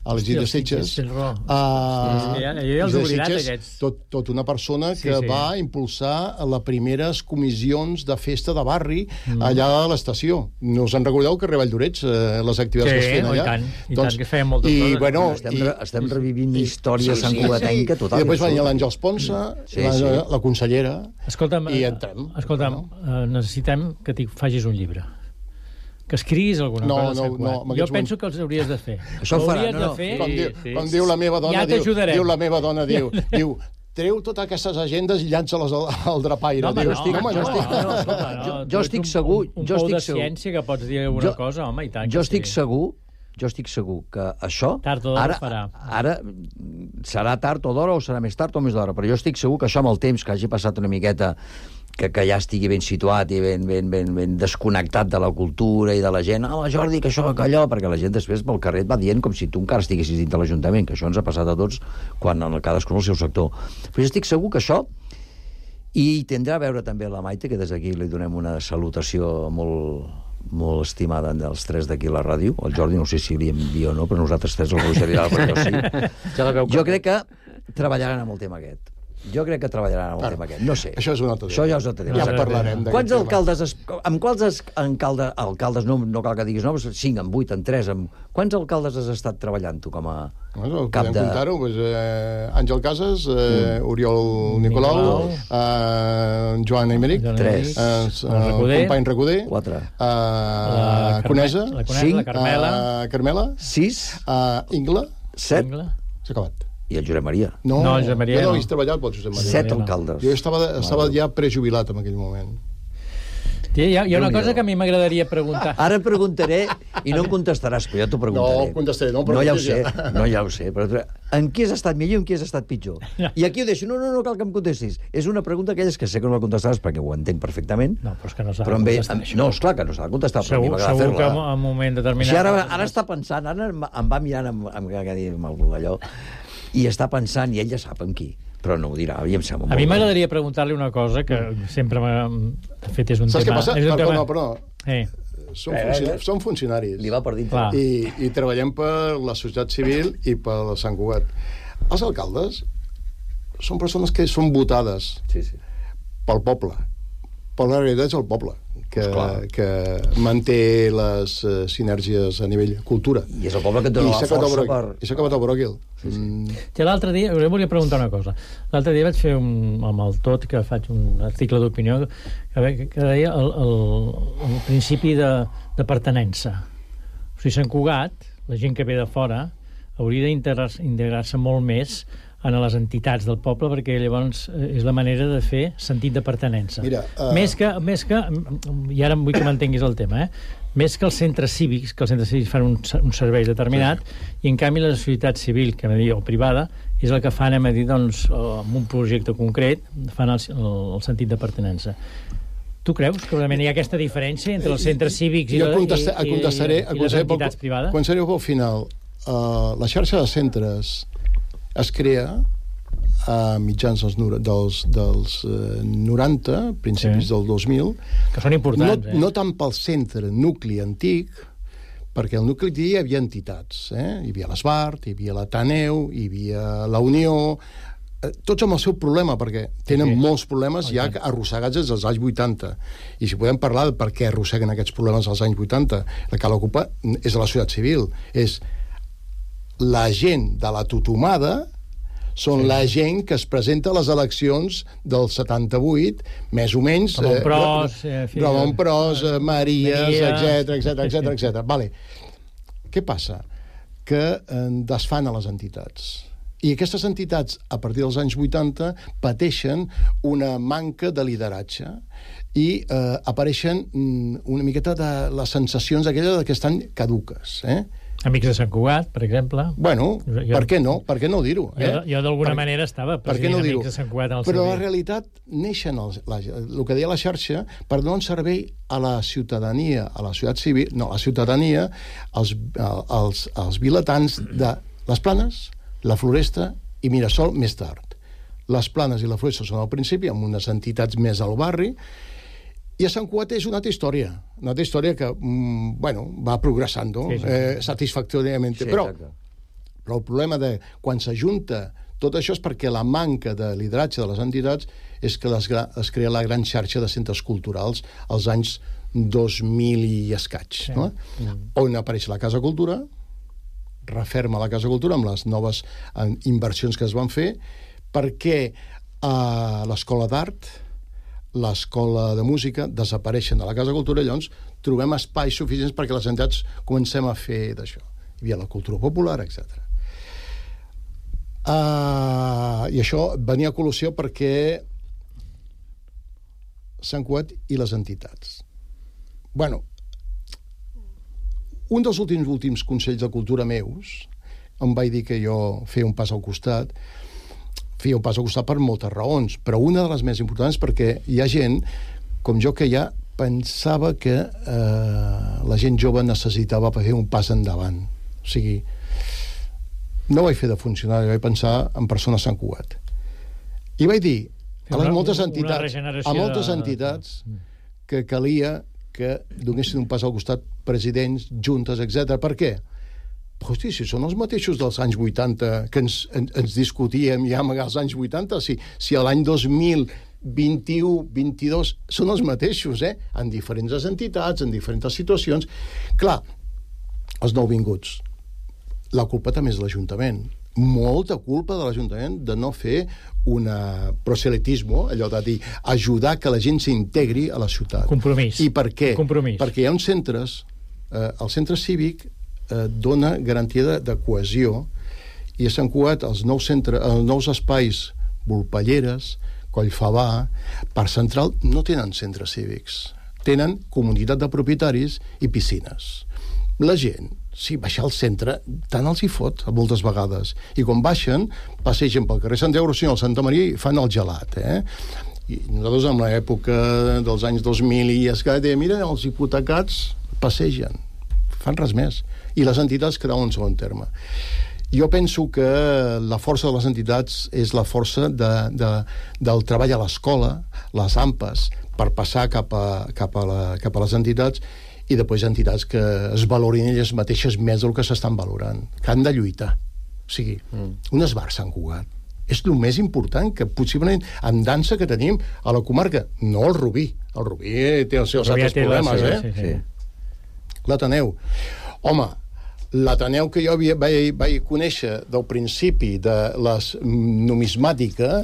a l'Isidre Sitges, uh, ja, ja els oblidat, aquests. Tot, tot una persona que sí, sí. va impulsar les primeres comissions de festa de barri mm. allà a l'estació. No us en recordeu que a Valldorets, eh, les activitats sí, que es feien allà? Sí, i tant, i doncs, tant que feien moltes i, coses. Bueno, estem, i, estem revivint història sí, santcugatenca sí, sí. total. I després venia l'Àngels Ponsa, sí, la, sí. la consellera, escolta'm, i entrem. Escolta'm, no? necessitem que t'hi facis un llibre. Que escriguis alguna no, cosa. No, no, jo penso que els hauries de fer. Això ho farà, no, no. Fer... Com, diu, sí. com diu la meva dona, ja diu, diu la meva dona, diu, diu treu totes aquestes agendes i llança-les al, al drapaire. No, home, diu, no, estic, home, jo, no, estic, no, no, escolta, no, jo, jo estic segur... Un, un jo pou estic de segur. ciència que pots dir alguna jo, cosa, home, i tant. Jo estic sí. segur jo estic segur que això tard o d'hora ara, farà. Ara serà tard o d'hora o serà més tard o més d'hora, però jo estic segur que això amb el temps que hagi passat una miqueta que, que ja estigui ben situat i ben, ben, ben, ben desconnectat de la cultura i de la gent, ah, Jordi, que això, que allò, perquè la gent després pel carrer et va dient com si tu encara estiguessis dins de l'Ajuntament, que això ens ha passat a tots quan en cadascun el seu sector. Però jo estic segur que això, i tindrà a veure també la Maite, que des d'aquí li donem una salutació molt, molt estimada dels tres d'aquí a la ràdio, el Jordi no sé si li envia o no, però nosaltres tres el coneixeríem, però sí. Jo crec que treballaran amb el tema aquest. Jo crec que treballaran amb el tema aquest. No sé. Això és un altre tema. Això ja és un altre tema. Ja parlarem d'aquest Quants alcaldes... Es, amb quants es, alcalde, alcaldes, no, no cal que diguis noms, cinc, en vuit, en tres, amb... Quants alcaldes has estat treballant tu com a bueno, cap de... comptar-ho, doncs, eh, Àngel Casas, eh, mm. Oriol Nicolau, Nicolau. Eh, Joan Emeric, tres, eh, el company Recuder, quatre, eh, la Conesa, la cinc, la Carmela, eh, Carmela, sis, eh, Ingla, set, s'ha acabat. I el Josep Maria. No, no el Josep Maria jo no no. he treballat pel Josep Maria. Set alcaldes. Jo estava, estava ja prejubilat en aquell moment. Hi ha, hi ha una cosa que a mi m'agradaria preguntar. Ara preguntaré, i no em contestaràs, però jo t'ho preguntaré. No, contestaré, no, no ja ho sé, no ja ho sé. Però en qui has estat millor i en qui has estat pitjor? I aquí ho deixo, no, no, no cal que em contestis. És una pregunta aquelles que sé que no la contestaràs perquè ho entenc perfectament. No, però és que no s'ha de contestar això. No, esclar que no s'ha de contestar, però a mi m'agrada fer-la. Segur que en un moment determinat... Si ara, ara està pensant, ara em va mirant amb, amb, amb, amb allò, i està pensant, i ell ja sap amb qui. Però no ho dirà, a mi em sembla molt... A mi m'agradaria preguntar-li una cosa que sempre m'ha... De fet, és un Saps tema... Saps què passa? Perdó, perdó. Eh. Som, funcionaris, som funcionaris. Li va per dintre. I, I treballem per la societat civil i per Sant Cugat. Els alcaldes són persones que són votades sí, sí. pel poble. Però la realitat és el poble, que, que manté les uh, sinergies a nivell cultura. I és el poble que et dona la força per... I s'ha acabat el bròquil. Sí, sí. Mm. Ja l'altre dia, us volia preguntar una cosa. L'altre dia vaig fer un, amb el Tot, que faig un article d'opinió, que, que deia el, el, el principi de, de pertenença. O sigui, Sant Cugat, la gent que ve de fora, hauria d'integrar-se molt més a les entitats del poble, perquè llavors és la manera de fer sentit de pertinença. Mira, uh... més que, més que, i ara vull que m'entenguis el tema, eh? Més que els centres cívics, que els centres cívics fan un, un servei determinat, sí. I en canvi la societat civil, que dir, o privada, és el que fan, anem a dir, doncs, amb un projecte concret, fan el, el, el sentit de pertinença. Tu creus que realment hi ha aquesta diferència entre els centres cívics i, jo i, i, i, i les entitats privades? Quan seré pel final, uh, la xarxa de centres es crea a mitjans dels, dels, dels uh, noranta, principis sí. del dos mil. Que són importants, no, eh? No tant pel centre, nucli antic, perquè al nucli antic hi havia entitats. Eh? Hi havia l'Esbart, hi havia l'Ateneu, hi havia la Unió, eh, tots amb el seu problema, perquè tenen sí. molts problemes ja arrossegats des dels anys vuitanta. I si podem parlar de per què arrosseguen aquests problemes als anys vuitanta, el que l'ocupa és la societat civil. És la gent de la tutomada són sí. la gent que es presenta a les eleccions del setanta-vuit, més o menys... Ramon Pros, eh, Ramon Pros, eh, Maries, etcètera, etcètera, etcètera, etcètera. Vale. Què passa? Que eh, desfan a les entitats. I aquestes entitats, a partir dels anys vuitanta, pateixen una manca de lideratge i eh, apareixen una miqueta de les sensacions aquelles que estan caduques, eh? Amics de Sant Cugat, per exemple. Bueno, jo, per què no? Per què no dir-ho? Eh? Jo, jo d'alguna manera estava president no Amics de Sant Cugat en el Però servei. la realitat neixen els, la, el que deia la xarxa per donar un servei a la ciutadania, a la societat civil, no, a la ciutadania, als, als, als vilatans de les Planes, la Floresta i Mirasol més tard. Les Planes i la Floresta són al principi, amb unes entitats més al barri, i a Sant Cugat és una altra història, una altra història que, mm, bueno, va progressant, sí, sí. eh, satisfactoriament. Sí, però, però el problema de quan s'ajunta tot això és perquè la manca de lideratge de les entitats és que les, es crea la gran xarxa de centres culturals als anys dos mil i escaig, sí. no? Mm. On apareix la Casa Cultura, referma la Casa Cultura amb les noves eh, inversions que es van fer, perquè eh, l'Escola d'Art, l'Escola de Música desapareixen de la Casa Cultura, i llavors trobem espais suficients perquè les entitats comencem a fer d'això. Hi havia la cultura popular, etcètera. Uh, I això venia a col·lusió perquè Sant Cugat i les entitats. Bueno, un dels últims últims consells de cultura meus em vaig dir que jo feia un pas al costat, feia un pas al costat per moltes raons, però una de les més importants perquè hi ha gent, com jo, que ja pensava que eh, la gent jove necessitava fer un pas endavant. O sigui, no vaig fer de funcionari, vaig pensar en persones Sant Cugat. I vaig dir a les moltes entitats, a moltes entitats que calia que donessin un pas al costat presidents, juntes, etcètera. Per què? Hosti, si són els mateixos dels anys vuitanta que ens, en, ens discutíem ja als anys vuitanta, si, si a l'any dos mil vint-i-u, vint-i-dos són els mateixos, eh? En diferents entitats, en diferents situacions. Clar, els nouvinguts, la culpa també és de l'Ajuntament. Molta culpa de l'Ajuntament de no fer un proselitisme, allò de dir, ajudar que la gent s'integri a la ciutat. Compromís. I per què? Compromís. Perquè hi ha uns centres, eh, el centre cívic eh, dona garantia de, de cohesió, i a Sant Cugat els nous, centre, els nous espais, Volpelleres, Collfabà, Parc Central, no tenen centres cívics. Tenen comunitat de propietaris i piscines. La gent, sí, baixar al centre, tant els hi fot, moltes vegades. I quan baixen, passegen pel carrer Sant Euros i al Santa Maria i fan el gelat, eh? I nosaltres, en l'època dels anys dos mil i escaig, mira, els hipotecats passegen, fan res més. I les entitats quedaven en segon terme. Jo penso que la força de les entitats és la força de, de, del treball a l'escola, les A M P As, per passar cap a, cap a, la, cap a les entitats, i després entitats que es valorin elles mateixes més del que s'estan valorant, que han de lluitar. O sigui, mm. un esbar Sant Cugat és el més important que possiblement en dansa que tenim a la comarca. No el Rubí. El Rubí té els seus altres problemes, eh? Sí, sí. L'Ateneu. Home, l'Ateneu que jo havia, vaig, vaig conèixer del principi de la numismàtica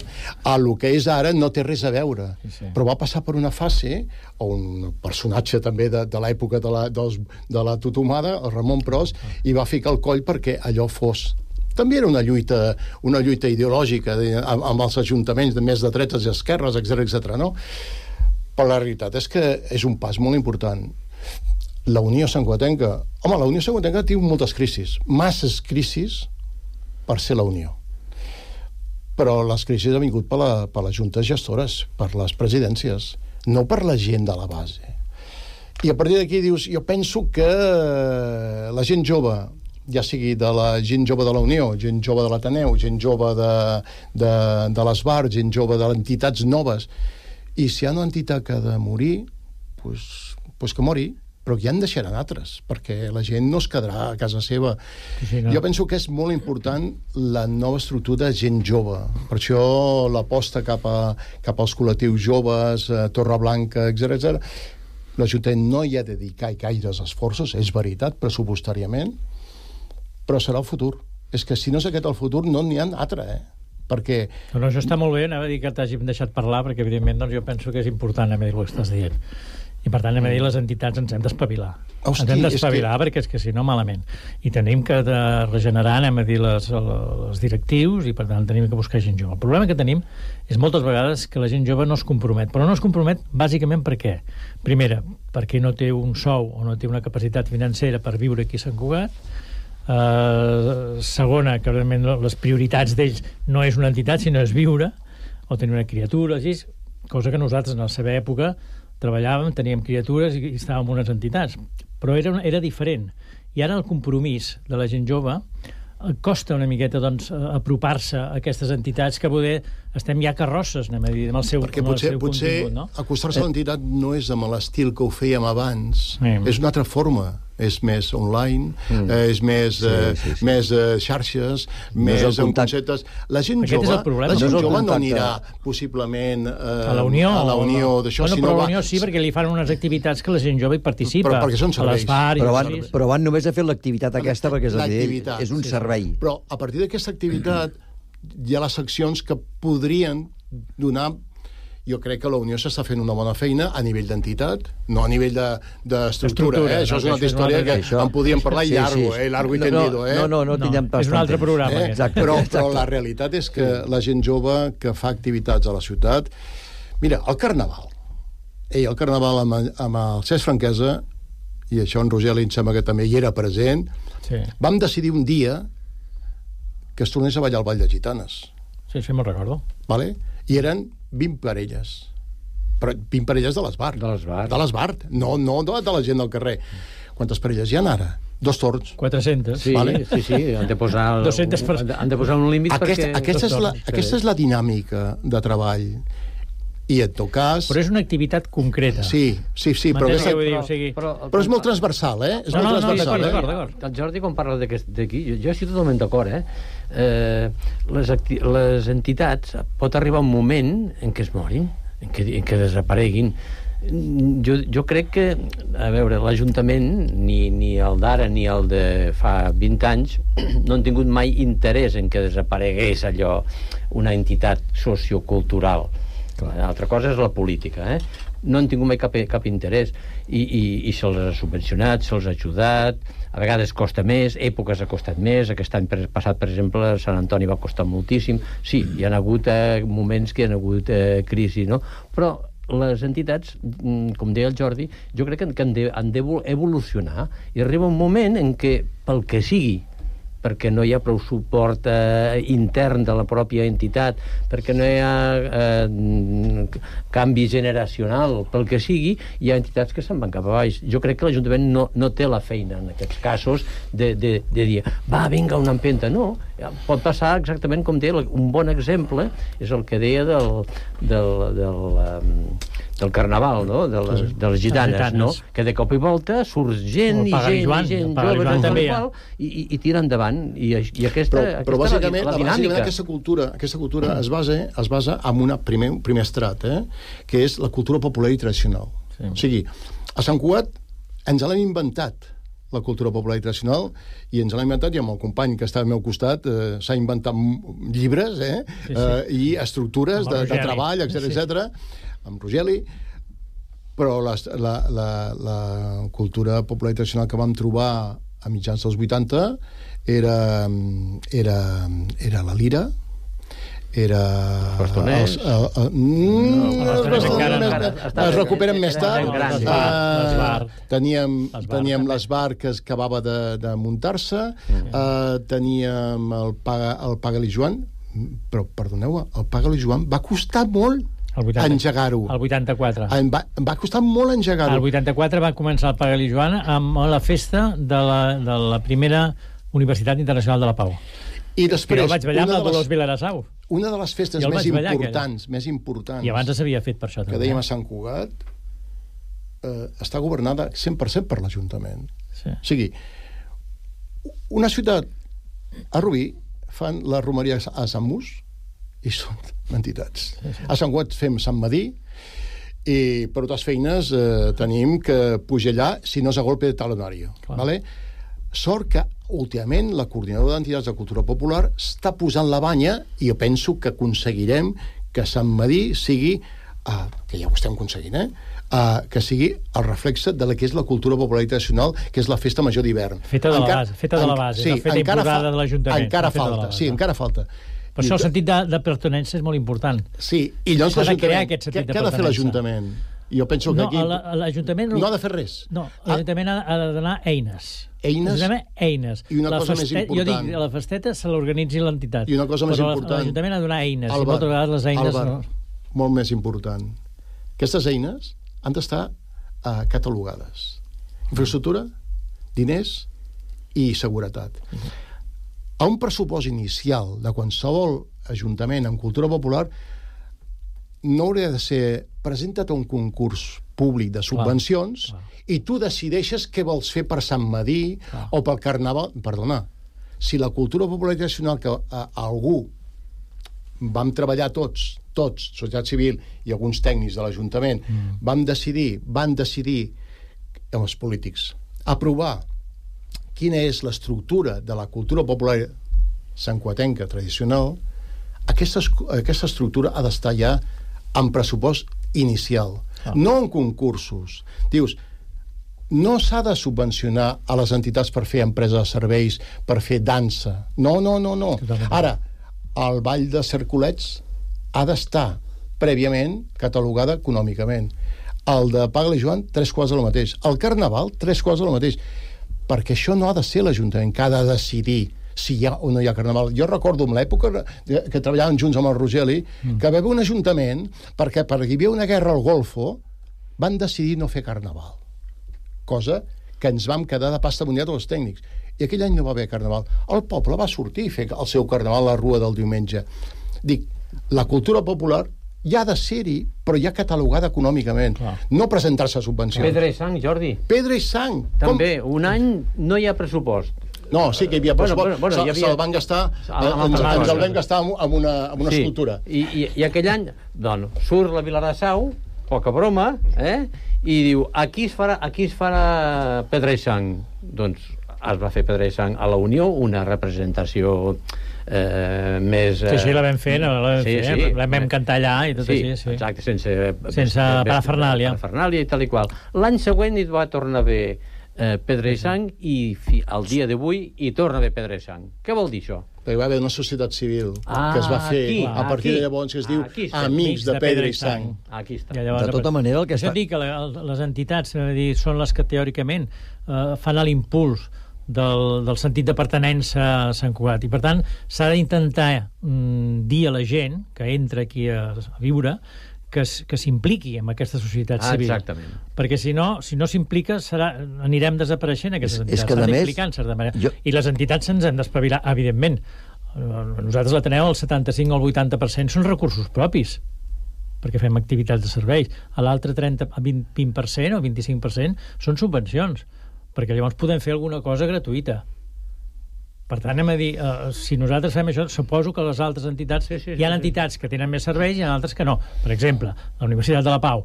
a lo que és ara no té res a veure. Sí, sí. Però va passar per una fase, o un personatge també de, de l'època de la, dels, de la tutomada, el Ramon Pros, ah. i va ficar el coll perquè allò fos També era una lluita, una lluita ideològica de, amb, amb els ajuntaments de més de dretes i esquerres, etcètera, etcètera, no? Però la realitat és que és un pas molt important. La Unió Santcugatenca... Home, la Unió Santcugatenca té moltes crisis, masses crisis per ser la Unió. Però les crisis han vingut per, la, per les juntes gestores, per les presidències, no per la gent de la base. I a partir d'aquí dius, jo penso que la gent jove, ja sigui de la gent jove de la Unió, gent jove de l'Ateneu, gent jove de, de, de l'Esbar, gent jove de les entitats noves, i si hi ha una entitat que ha de morir, pues, pues que mori, però ja en deixaran altres, perquè la gent no es quedarà a casa seva. Sí, no. Jo penso que és molt important la nova estructura de gent jove. Per això l'aposta cap, a, cap als col·lectius joves, eh, Torreblanca, etcètera, etcètera. L'Ajuntament no hi ha de dedicar gaires esforços, és veritat, pressupostàriament, però serà el futur. És que si no és aquest el futur, no n'hi ha altre, eh? Perquè... No, no, això està molt bé, anava a dir que t'hàgim deixat parlar, perquè evidentment doncs, jo penso que és important a dir el que estàs dient. I per tant, a dir, les entitats ens hem d'espavilar. Hosti, ens hem d'espavilar, és que... perquè és que si no, malament. I tenim que de regenerar, anem a dir, les, les directius, i per tant tenim que buscar gent jove. El problema que tenim és moltes vegades que la gent jove no es compromet. Però no es compromet bàsicament per què? Primera, perquè no té un sou o no té una capacitat financera per viure aquí a Sant Cugat. Uh, segona, que realment les prioritats d'ells no és una entitat, sinó és viure, o tenir una criatura, així, cosa que nosaltres en la seva època treballàvem, teníem criatures i estàvem en unes entitats, però era, era diferent. I ara el compromís de la gent jove costa una miqueta doncs, apropar-se a aquestes entitats que poder estem ja carrosses, anem a dir, amb el seu, perquè amb potser, el seu potser contingut, no? Acostar-se a l'entitat no és amb l'estil que ho fèiem abans, sí. És una altra forma, és més online, mm. eh, és més, sí, sí, sí. Eh, més eh, xarxes, no més en conceptes. La gent Aquest jove, la gent no jove no anirà possiblement eh, a la Unió, a la Unió no. d'això. Bueno, si però no a la Unió sí, perquè li fan unes activitats que la gent jove hi participa. Però perquè són serveis. Però van, però van només a fer l'activitat aquesta perquè és, és un sí, servei. Però a partir d'aquesta activitat hi ha les seccions que podrien donar... Jo crec que la Unió s'està fent una bona feina a nivell d'entitat, no a nivell d'estructura, de, eh? Això és una altra història que això... en podíem parlar sí, largo, sí. eh? Largo i tendido, eh? No, no, no, no tinguem pas és un altre temps. Programa. Eh? Exacte, però, exacte. Però la realitat és que la gent jove que fa activitats a la ciutat... Mira, el Carnaval. Ei, el Carnaval amb, amb el Cesc Franquesa, i això en Rogeli em sembla que també hi era present, sí. Vam decidir un dia que es tornés a ballar el Ball de Gitanes. Sí, sí, me'n recordo. Vale? I eren vint parelles. Però vint parelles de l'Esbar. De l'Esbar. De l'Esbar. No, no de la gent del carrer. Quantes parelles hi ha ara? Dos torns. quatre-centes. Sí, vale? sí, sí. Han de posar, el, dues-centes per... han de posar un límit aquesta, perquè... Aquesta és, la, aquesta és la dinàmica de treball. I en tot cas... Però és una activitat concreta. Sí, sí, sí. Però, aquesta... dir, o sigui... però, però és molt transversal, eh? És no, molt no, transversal, no, eh? d'acord, d'acord. El Jordi, quan parla d'aquí, jo, jo estic totalment d'acord, eh? eh les, les entitats pot arribar un moment en què es morin, en què, en què desapareguin. Jo, jo crec que, a veure, l'Ajuntament, ni, ni el d'ara ni el de fa vint anys, no han tingut mai interès en que desaparegués allò, una entitat sociocultural. L'altra cosa és la política, eh? No han tingut mai cap, cap interès i, i, i se'ls ha subvencionat, se'ls ha ajudat, a vegades costa més, èpoques ha costat més, aquest any passat, per exemple, Sant Antoni va costar moltíssim, sí, hi ha hagut eh, moments que hi ha hagut eh, crisi, no? Però les entitats, com deia el Jordi, jo crec que han de, han d'evolucionar i arriba un moment en què, pel que sigui, perquè no hi ha prou suport eh, intern de la pròpia entitat, perquè no hi ha eh, canvi generacional, pel que sigui, hi ha entitats que se'n van cap a baix. Jo crec que l'Ajuntament no, no té la feina en aquests casos de, de, de dir, va, vinga, una empenta. No, pot passar exactament com deia, un bon exemple és el que deia del, del, del, del Carnaval, no? de, les, de les gitanes, gitanes, no? Que de cop i volta surt gent i gent, Joan, i gent jove també, ja. i, i, i tira endavant. I, i aquesta, però, però aquesta bàsicament, la, la dinàmica. Aquesta cultura, aquesta cultura es, basa, es basa en un primer, primer estrat, eh? Que és la cultura popular i tradicional. Sí. O sigui, a Sant Cugat ens l'hem inventat, la cultura popular i tradicional, i ens l'ha inventat, i amb el company que està al meu costat eh, s'ha inventat llibres eh, sí, sí. Eh, i estructures de, de treball, etcètera, sí. etcètera, amb Rogeli, però la, la, la, la cultura popular i tradicional que vam trobar a mitjans dels vuitanta, era, era, era la lira, era... Els bastoners. Els, el, el, mm, no, els bastoners es recuperen més tard. Les bar. Teníem, teníem les bar que acabava de, de muntar-se, uh, teníem el Paga, el Paga-li Joan, però, perdoneu, el Paga-li Joan va costar molt engegar-ho. El vuitanta-quatre. Em va, em va costar molt engegar-ho. El vuitanta-quatre va començar el Paga-li Joan amb la festa de la, de la primera Universitat Internacional de la Pau. I després... Jo vaig ballar amb la Dolors Vilarasau. Una de les festes més ballar, importants, més importants... I abans s'havia fet per això, també. Que dèiem a Sant Cugat, eh, està governada cent per cent per l'Ajuntament. Sí. O sigui, una ciutat, a Rubí, fan la romeria a Sant Mus i són entitats. Sí, sí. A Sant Cugat fem Sant Madí i per altres feines eh, tenim que pujar allà si no és a golpe de talonario. Vale? Sort que últimament la coordinadora d'entitats de cultura popular està posant la banya i jo penso que aconseguirem que Sant Madí sigui, uh, que ja ho estem aconseguint, eh? Uh, que sigui el reflexe de la que és la cultura popular tradicional, que és la festa major d'hivern. Feta de la base, feta de la base, sí, la feta imposada de l'Ajuntament. Encara falta, sí, encara falta. Per això el sentit de, de pertinença és molt important. Sí, i llavors s'ha de crear aquest sentit què, de què ha de fer l'Ajuntament? Jo penso que no, aquí... l'Ajuntament... No ha de fer res. No, l'Ajuntament ha, ha de donar eines. Eines? Eines. I una la cosa feste... més important. Jo dic, la festeta se l'organitzi l'entitat. I una cosa més però important. L'Ajuntament ha de donar eines. Albert, I moltes vegades les eines... Albert, no... molt més important. Aquestes eines han d'estar uh, catalogades. Infraestructura, diners i seguretat. Uh-huh. A un pressupost inicial de qualsevol ajuntament en cultura popular no hauria de ser presenta't a un concurs públic de subvencions clar, clar. I tu decideixes què vols fer per Sant Madí clar. O pel Carnaval. Perdona, si la cultura popular tradicional que a, a algú vam treballar tots, tots, societat civil i alguns tècnics de l'Ajuntament, mm. vam decidir, van decidir amb els polítics aprovar quina és l'estructura de la cultura popular santcugatenca tradicional, aquesta, aquesta estructura ha d'estar ja en pressupost inicial, ah. no en concursos. Dius, no s'ha de subvencionar a les entitats per fer empresa de serveis, per fer dansa. No, no, no, no. Ara, el ball de cercolets ha d'estar prèviament catalogada econòmicament. El de Paga-li Joan, tres quarts de lo mateix. El Carnaval, tres quarts de lo mateix. Perquè això no ha de ser l'Ajuntament que ha de decidir si hi ha o no hi ha Carnaval. Jo recordo en l'època que treballàvem junts amb el Rogeli mm. que va haver un ajuntament perquè perquè hi havia una guerra al Golfo van decidir no fer Carnaval. Cosa que ens vam quedar de pasta mundial els tècnics. I aquell any no va haver Carnaval. El poble va sortir a fer el seu Carnaval a la Rua del diumenge. Dic, la cultura popular ja ha de ser-hi, però ja catalogada econòmicament. Clar. No presentar-se a subvencions. Pedra i sang, Jordi. Pedra i sang. També, Com... un any no hi ha pressupost. No, sí que hi havia pressupost. Bueno, bueno, bueno, se'l havia... van gastar, ens, ens el vam gastar amb una, amb una sí. escultura. I, i, I aquell any, doncs, surt la Vilarasau, poca broma, eh? I diu, aquí es farà, aquí es farà Pedra i sang. Doncs es va fer Pedra i sang a la Unió, una representació eh, més... Sí, sí, la vam fer, no, la vam sí, fer, sí. la vam cantar allà i tot sí, així, sí. Exacte, sense... Sense parafernàlia. Parafernàlia i tal i qual. L'any següent hi va tornar a haver eh, Pedra i sang i fi, al dia d'avui hi torna a haver Pedra i sang. Què vol dir això? Perquè va haver una societat civil ah, que es va fer aquí, a partir aquí, de llavors que es diu Amics, Amics de, de Pedra i Sang. Aquí està. De tota manera, el que està... Això dic que les entitats dir, són les que teòricament eh, fan l'impuls del, del sentit de pertinença a Sant Cugat. I, per tant, s'ha d'intentar mm, dir a la gent que entra aquí a, a viure que, que s'impliqui en aquesta societat ah, civil. Exactament. Perquè si no, si no s'implica, serà, anirem desapareixent aquestes entitats. S'han d'implicar, en certa manera. Jo... I les entitats se'ns han d'espavilar, evidentment. Nosaltres la tenem el setanta-cinc o el vuitanta per cent són recursos propis, perquè fem activitats de serveis. A l'altre trenta, vint per cent o vint-i-cinc per cent són subvencions, perquè llavors podem fer alguna cosa gratuïta. Per tant, anem a dir, uh, si nosaltres fem això, suposo que les altres entitats... Sí, sí, hi ha sí, entitats sí. que tenen més serveis i hi ha altres que no. Per exemple, la Universitat de la Pau,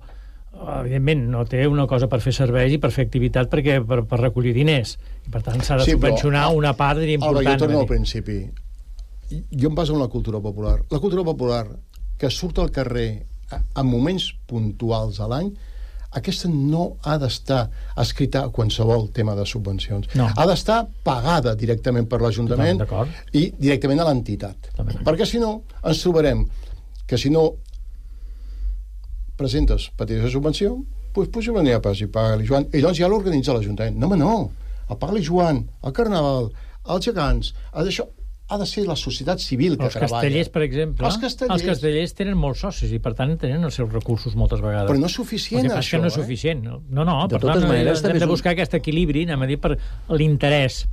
evidentment, no té una cosa per fer serveis i per fer activitat perquè, per, per recollir diners. I, per tant, s'ha de sí, subvencionar però, una part important. Alba, jo torno al principi. Jo em baso en la cultura popular. La cultura popular, que surt al carrer en moments puntuals a l'any, aquesta no ha d'estar escrita a qualsevol tema de subvencions. No. Ha d'estar pagada directament per l'Ajuntament i directament a l'entitat. Perquè si no, ens trobarem que si no presentes petició de subvenció, doncs puja una pas i paga-li Joan. I llavors ja l'organitza l'Ajuntament. No, home, no. El paga-li Joan, el Carnaval, els gegants, el d'això. Ha de ser la societat civil que els treballa. Castellers, per exemple, els castellers. els castellers tenen molts socis i, per tant, tenen els seus recursos moltes vegades. Però no és suficient, això, això, no és eh? suficient. No, no, De per totes tant, maneres, hem també de és un- buscar aquest equilibri, anem a dir, per l'interès,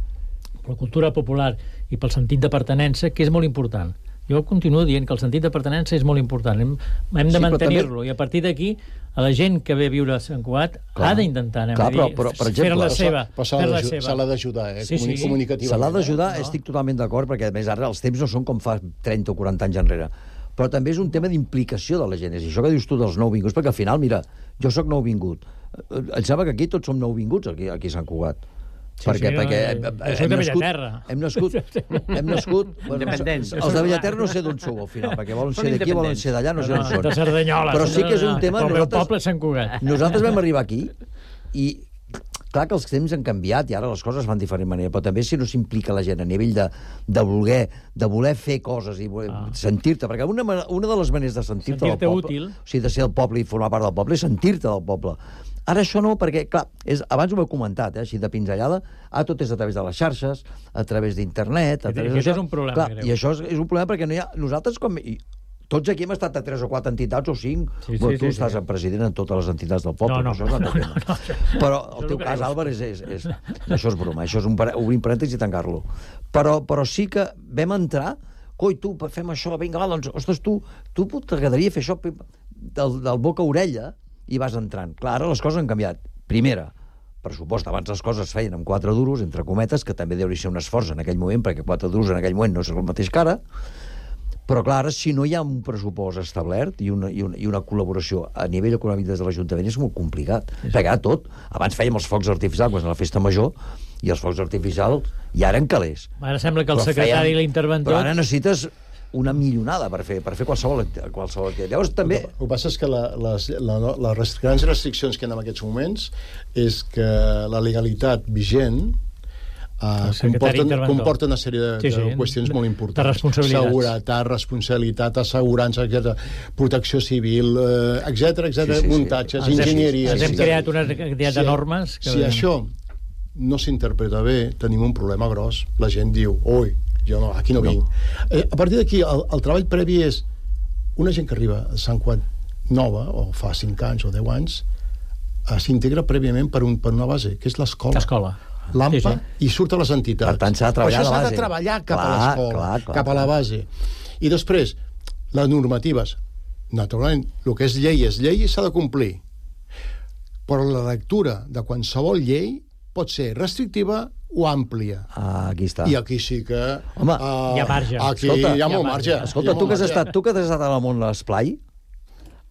per la cultura popular i pel sentit de pertenença, que és molt important. Jo continuo dient que el sentit de pertenença és molt important. Hem, hem de Sí, però mantenir-lo també- i a partir d'aquí a la gent que ve a viure a Sant Cugat Clar. ha d'intentar, anem Clar, a dir, però- però, per exemple, fer-la però seva. Però se l'ha fer-la d'aju- seva. se l'ha d'ajudar, eh? Sí, sí. Comunicativament. Se l'ha d'ajudar, No? estic totalment d'acord, perquè a més ara els temps no són com fa trenta o quaranta anys enrere. Però també és un tema d'implicació de la gent. És això que dius tu dels nouvinguts, perquè al final, mira, jo sóc nouvingut. Eh, Em sembla que aquí tots som nouvinguts, aquí, aquí a Sant Cugat. Sí, perquè, sí, perquè no, hem, jo hem, soc de nascut, Bellaterra. hem nascut, hem nascut bueno, Independents. els de Bellaterra no sé d'on sou al final, perquè volen Són ser d'aquí, volen independents. ser d'allà, no sé No, on són. de Cerdanyola. Però sí que és un tema... El meu nosaltres- poble és Sant Cugat. Nosaltres vam arribar aquí i clar que els temps han canviat i ara les coses van de diferent manera, però també si no s'implica la gent a nivell de, de, voler, de voler fer coses i voler, ah. sentir-te, perquè una, ma- una de les maneres de sentir-te Sentir-te del poble, útil. o sigui, de ser del poble i formar part del poble, és sentir-te del poble. Ara això no, perquè, clar, és, abans ho heu comentat, eh, així de pinzellada, ah, tot és a través de les xarxes, a través d'internet... a través Aquest d'això. és un problema Clar, greu. I això és, és un problema perquè no hi ha... Nosaltres, com... I, tots aquí hem estat a tres o quatre entitats o cinc. Sí, sí, bueno, tu sí, estàs sí. el president en totes les entitats del poble. No, no, això és un altre no, tema. no, no. Però Això el no teu ho cas, creus. Álvarez, és, és, és, això és broma. Això és un, pare- obrir parèntesis i tancar-lo. Però, però sí que vam entrar... Coi, tu, fem això, vinga, va, doncs, ostres, tu, tu t'agradaria fer això del, del boca a orella i vas entrant. Clar, ara les coses han canviat. Primera, pressupost, abans les coses es feien amb quatre duros, entre cometes, que també deuria ser un esforç en aquell moment, perquè quatre duros en aquell moment no és el mateix que ara, però clar, ara, si no hi ha un pressupost establert i una, i una, i una col·laboració a nivell econòmic des de l'Ajuntament és molt complicat, sí. perquè ara tot, abans fèiem els focs artificials, quan a la festa major, i els focs artificials ja eren calés. Ara sembla que el Però secretari fèiem- i l'interventor... Però ara necessites una milionada per fer, per fer qualsevol, qualsevol activitat. Llavors, també... El que passa és que la, les, la, les rest- grans restriccions que hi ha en aquests moments és que la legalitat vigent uh, comporta, comporta una sèrie de, Sí, sí, de qüestions de- molt de importants. responsabilitats. Seguretat, responsabilitat, assegurança, etcètera, protecció civil, eh, etcètera, etcètera, Sí, sí, sí. muntatges, Ens hem- enginyeria... ens hem etcètera. creat una quantitat de normes que- Si això no s'interpreta bé, tenim un problema gros. La gent diu, ui, jo no, aquí no, no. vinc. Eh, a partir d'aquí, el, el treball previ és una gent que arriba a Sant Cugat nova, o fa cinc anys o deu anys, eh, s'integra prèviament per, un, per una base, que és l'escola. L'escola. L'AMPA, Sí, sí. i surt a les entitats. Per tant, s'ha de treballar Això a la s'ha base. de treballar cap Clar, a l'escola, clar, clar, cap a la clar. base. I després, les normatives. Naturalment, el que és llei és llei i s'ha de complir. Però la lectura de qualsevol llei pot ser restrictiva o àmplia. Ah, aquí està. I aquí sí que... Home, uh, hi ha marge. Aquí Escolta, hi ha hi ha molt marge. marge. Escolta, hi ha tu molt que, has marge. estat, tu que has estat al món de l'esplai,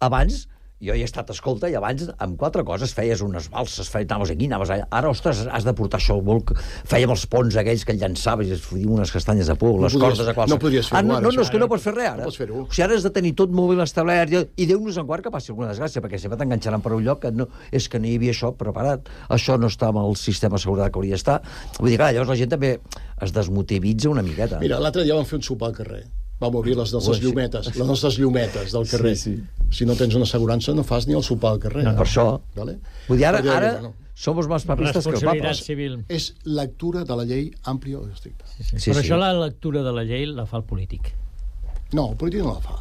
abans, jo hi he estat, escolta, i abans amb quatre coses feies unes balses, feies, anaves aquí, anaves allà. Ara, ostres, has de portar això al bolc. Fèiem els ponts aquells que llançaves i es fotien unes castanyes de por, No les podries- cordes a qualsevol... no podries fer-ho ah, no, ara, no, no, això. és que no pots fer res ara. No pots fer-ho. O sigui, ara has de tenir tot molt ben establert i, i Déu nos en guard que passi alguna desgràcia, perquè sempre t'enganxaran per un lloc que no, és que no hi havia això preparat. Això no està amb el sistema de seguretat que hauria d'estar. Vull dir, clar, llavors la gent també es desmotivitza una miqueta. Mira, l'altre dia vam fer un sopar al carrer. Vam obrir les nostres Ui, sí. llumetes, les nostres llumetes del carrer. Sí, Si no tens una assegurança, no fas ni el sopar al carrer. No, per això. Vale? Vull dir, ara, Per dir, ara bueno, som més papistes que el Responsabilitat papa. civil. és lectura de la llei àmplia o estricta. Sí, sí. Sí, Però sí. això la lectura de la llei la fa el polític. No, el polític no la fa.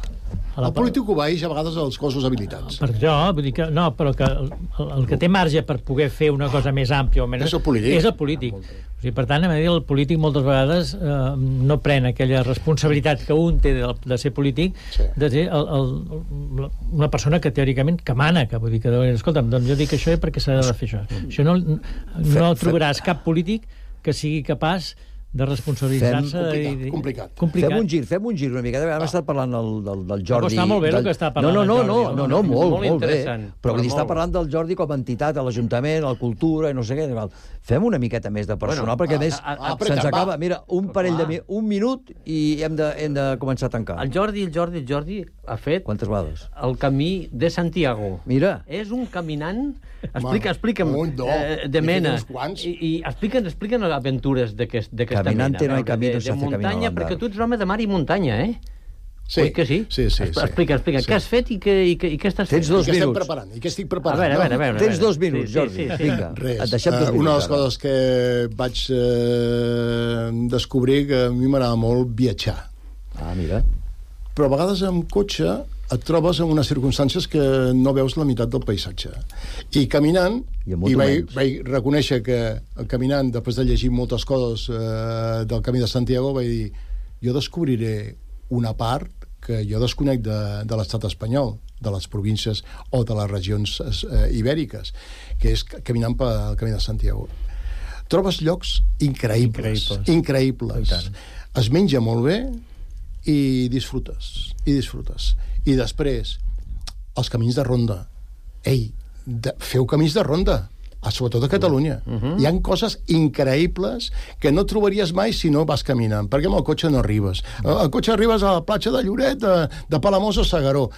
A la El polític obeeix a vegades als cossos habilitats. Per això, vull dir que, no, però que el, el, el que té marge per poder fer una cosa més àmplia o menys... És el polític. És el polític. O sigui, per tant, a dir, el polític moltes vegades eh, no pren aquella responsabilitat que un té de, de ser polític, Sí. de ser el, el, una persona que teòricament que mana, que vull dir que, escolta'm, doncs jo dic això perquè s'ha de fer això. Això no, no trobaràs cap polític que sigui capaç de responsabilitzar-se. Complicat, i... complicat. complicat. Fem un gir, fem un gir una mica. Hem estat parlant del, del, del Jordi... Està molt bé el del... que està parlant no, no, no, el no, Jordi. no, no, molt, molt molt bé. interessant, Però però vull dir, està molt. parlant del Jordi com a entitat, a l'Ajuntament, a la cultura, i no sé què. Fem una miqueta més de personal, Bueno, perquè a ah, més ah, ah, se'ns apretem, acaba... va. Mira, un parell de... mi- Un minut i hem de, hem de començar a tancar. El Jordi, el Jordi, el Jordi ha fet Quantes vegades? el camí de Santiago. Mira. És un caminant... Explica, Home, explica'm, un, dos, eh, de n'he fet mena. uns quants. I, i expliquen, expliquen aventures d'aquest- d'aquesta mena. Caminante no hay a veure, camino, de, se de hace camino al muntanya, andar. perquè tu ets home de mar i muntanya, eh? Sí, Oi que sí? sí, sí, Expl- sí. Explica, explica. Sí. Què has fet i què, i què, i què estàs Tens fent? dos I què estem minuts. preparant? I què estic A preparant? veure, a veure, a veure. Tens a veure. dos minuts, Sí, sí, Jordi. sí, sí. Vinga, Res. et deixem dos Eh, minuts. una de les ara. coses que vaig eh, descobrir que a mi m'agrada molt viatjar. Ah, mira. Però a vegades amb cotxe et trobes en unes circumstàncies que no veus la meitat del paisatge. I caminant, I amb i moto vaig, menys. vaig reconèixer que caminant, després de llegir moltes coses eh, del Camí de Santiago, vaig dir, jo descobriré una part que jo desconec de, de l'estat espanyol, de les províncies o de les regions eh, ibèriques, que és caminant pel Camí de Santiago. Trobes llocs increïbles, Increïbles. increïbles. Es menja molt bé i disfrutes, i disfrutes. I després, els camins de ronda. Ei, de, feu camins de ronda, a, sobretot a Catalunya. Uh -huh. Hi han coses increïbles que no trobaries mai si no vas caminant, perquè amb el cotxe no arribes. El cotxe arribes a la platja de Lloret, de, de Palamós o S'Agaró.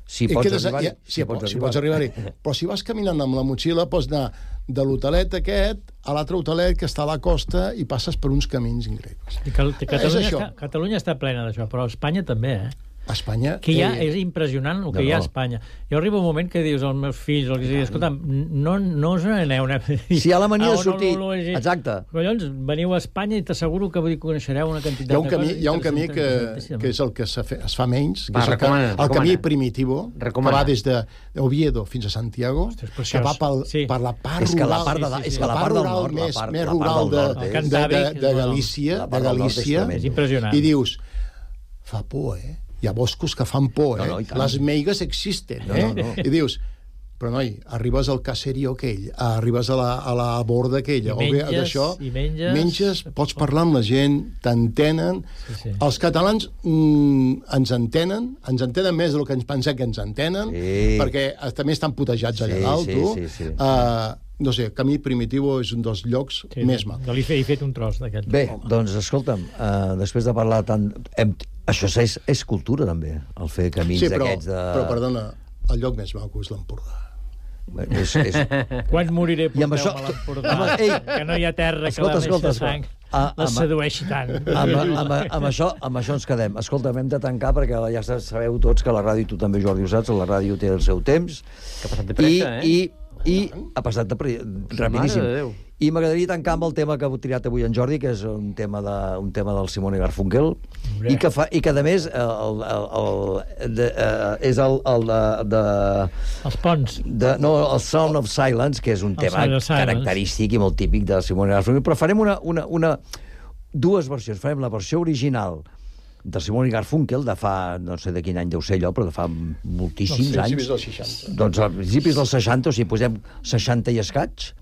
Si I pots quedes- arribar-hi. i- Si, pots, si pots arribar-hi. Però si vas caminant amb la motxilla, pots anar de l'hotelet aquest a l'altre hotelet que està a la costa i passes per uns camins increïbles. I Cal Catalunya, És això. està, Catalunya està plena d'això, però Espanya també, eh? A Espanya... Que hi ha, eh, és impressionant el que No, hi ha a no. Espanya. Jo arriba un moment que dius als meus fills, o que sigui, escolta, no, no us n'aneu. Si hi ha la mania de Ah, sortir... no, no, no, no, Exacte. Collons, veniu a Espanya i t'asseguro que vull dir, coneixereu una quantitat Hi ha un de camí, coses hi ha un camí que, interessantíssimes. que és el que se fe, es fa menys, que Va, és el, que, recomana, el recomana. camí primitivo, Recomana. que va des de Oviedo fins a Santiago, Ostres, que preciós. va pel, Sí. per la part És que la rural, part de da- sí, sí, és sí. que la part del rural nord, la més, part- més la part rural del de, nord de, és- de, Cantàbric, de, de és Galícia, la de part del nord és Galícia, tremend. És impressionant. i dius, fa por, eh? Hi ha boscos que fan por, eh? No, no, i tant. Les meigues existen, No, eh? no, no. I dius, però noi, arribes al caserío aquell, arribes a la, a la borda aquella, I o bé menges, d'això, i menges- menges, pots parlar amb la gent, t'entenen. Sí, sí. Els catalans mm, ens entenen, ens entenen més del que ens pensem que ens entenen, Sí. perquè eh, també estan putejats allà Sí, dalt, sí, tu. sí, sí. Uh, no sé, Camí Primitivo és un dels llocs Sí, més macs. Li he, he fet un tros d'aquest. Bé, doncs, escolta'm, uh, després de parlar tant... Hem... Això és, és cultura, també, el fer camins Sí, però, d'aquests de... però, perdona, el lloc més maco és l'Empordà. És, és... Quan moriré, I amb porteu-me això- a l'Empordà, Home, ei, que no hi ha terra escolta, que la escolta, deixa sang, Ah, la amb- sedueixi tant. amb, amb, amb, això, amb això ens quedem. Escolta, hem de tancar perquè ja sabeu tots que la ràdio, tu també, Jordi, ho saps, la ràdio té el seu temps. Que ha passat de pressa, I, eh? I, i ha passat de pre... rapidíssim. Mare de Déu. I m'agradaria tancar amb el tema que ha triat avui en Jordi, que és un tema, de, un tema del Simone Garfunkel, i que, fa, i que a més el, el, el, de, uh, és el, el de, de... Els ponts. De, no, el Sound of Silence, que és un El tema Sound of Silence. característic i molt típic de Simone Garfunkel, però farem una, una, una, dues versions. Farem la versió original de Simone Garfunkel, de fa, no sé de quin any deu ser allò, però de fa moltíssims Dels anys. principis dels seixanta. Doncs als principis dels seixanta, o sigui, posem seixanta i escaig.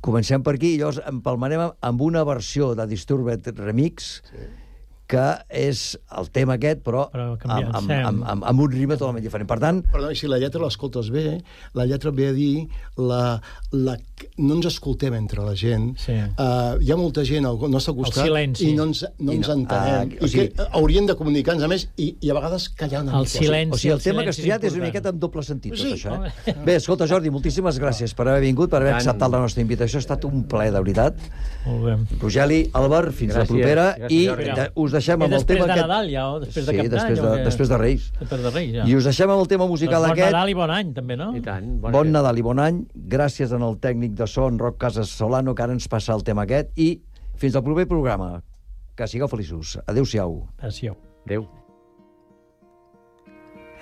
Comencem per aquí i llavors empalmarem amb una versió de Disturbed Remix, sí, que és el tema aquest, però, Però amb, canviant, amb, sí. amb, amb, amb un ritme totalment diferent. Per tant, Perdó, i si la lletra l'escoltes bé, la lletra ve a dir la, la, no ens escoltem entre la gent. Sí. Uh, hi ha molta gent al nostre costat El silenci. i no ens, no I ens no- entenem. ah, o I sigui- que hauríem de comunicar-nos a més i, i a vegades callar una El mica. silenci. o sigui, el el tema que has silenci triat és una important. miqueta en doble sentit, Sí, tot això. home. Eh? Bé, escolta, Jordi, moltíssimes gràcies per haver vingut, per haver Tant. acceptat la nostra invitació. Ha estat un plaer, de veritat. Molt bé. Rogeli, Albert, fins la Gràcies. propera. Gràcies, I Jordi. de, us deixem I amb el després tema de aquest... Nadal, ja, o després de Sí, Cap d'Any? després de- o què? després de Reis. Després de Reis, ja. I us deixem amb el tema musical Doncs bon aquest. Nadal i bon any, també, no? I tant. Bon Nadal i bon any. Gràcies en el tècnic de so, en Roc Casas Solano, que ara ens passa el tema aquest. I fins al proper programa. Que sigueu feliços. Adéu-siau. Adéu. Adéu.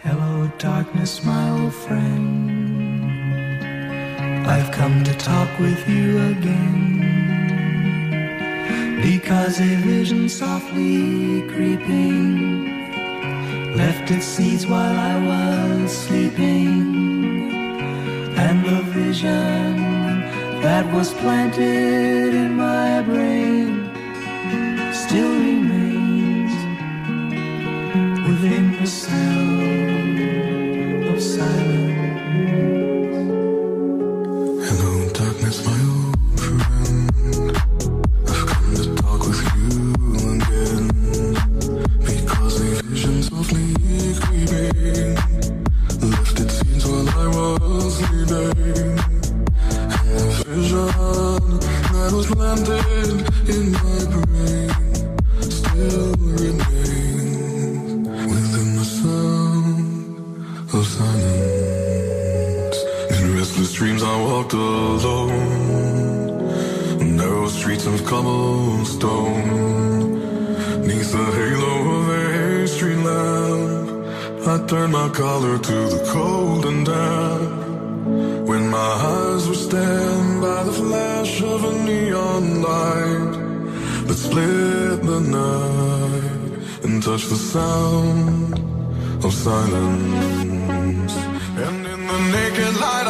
Hello, darkness, my old friend. I've come to talk with you again. Because a vision softly creeping left its seeds while I was sleeping. And the vision that was planted in my brain lifted scenes while I was sleeping. And the vision that was planted in my brain still remains within the sound of silence. In restless dreams I walked alone, narrow streets of cobblestone. Neath the halo of a street lamp, I turned my collar to the cold and damp. When my eyes were stabbed by the flash of a neon light that split the night and touched the sound of silence. And in the naked light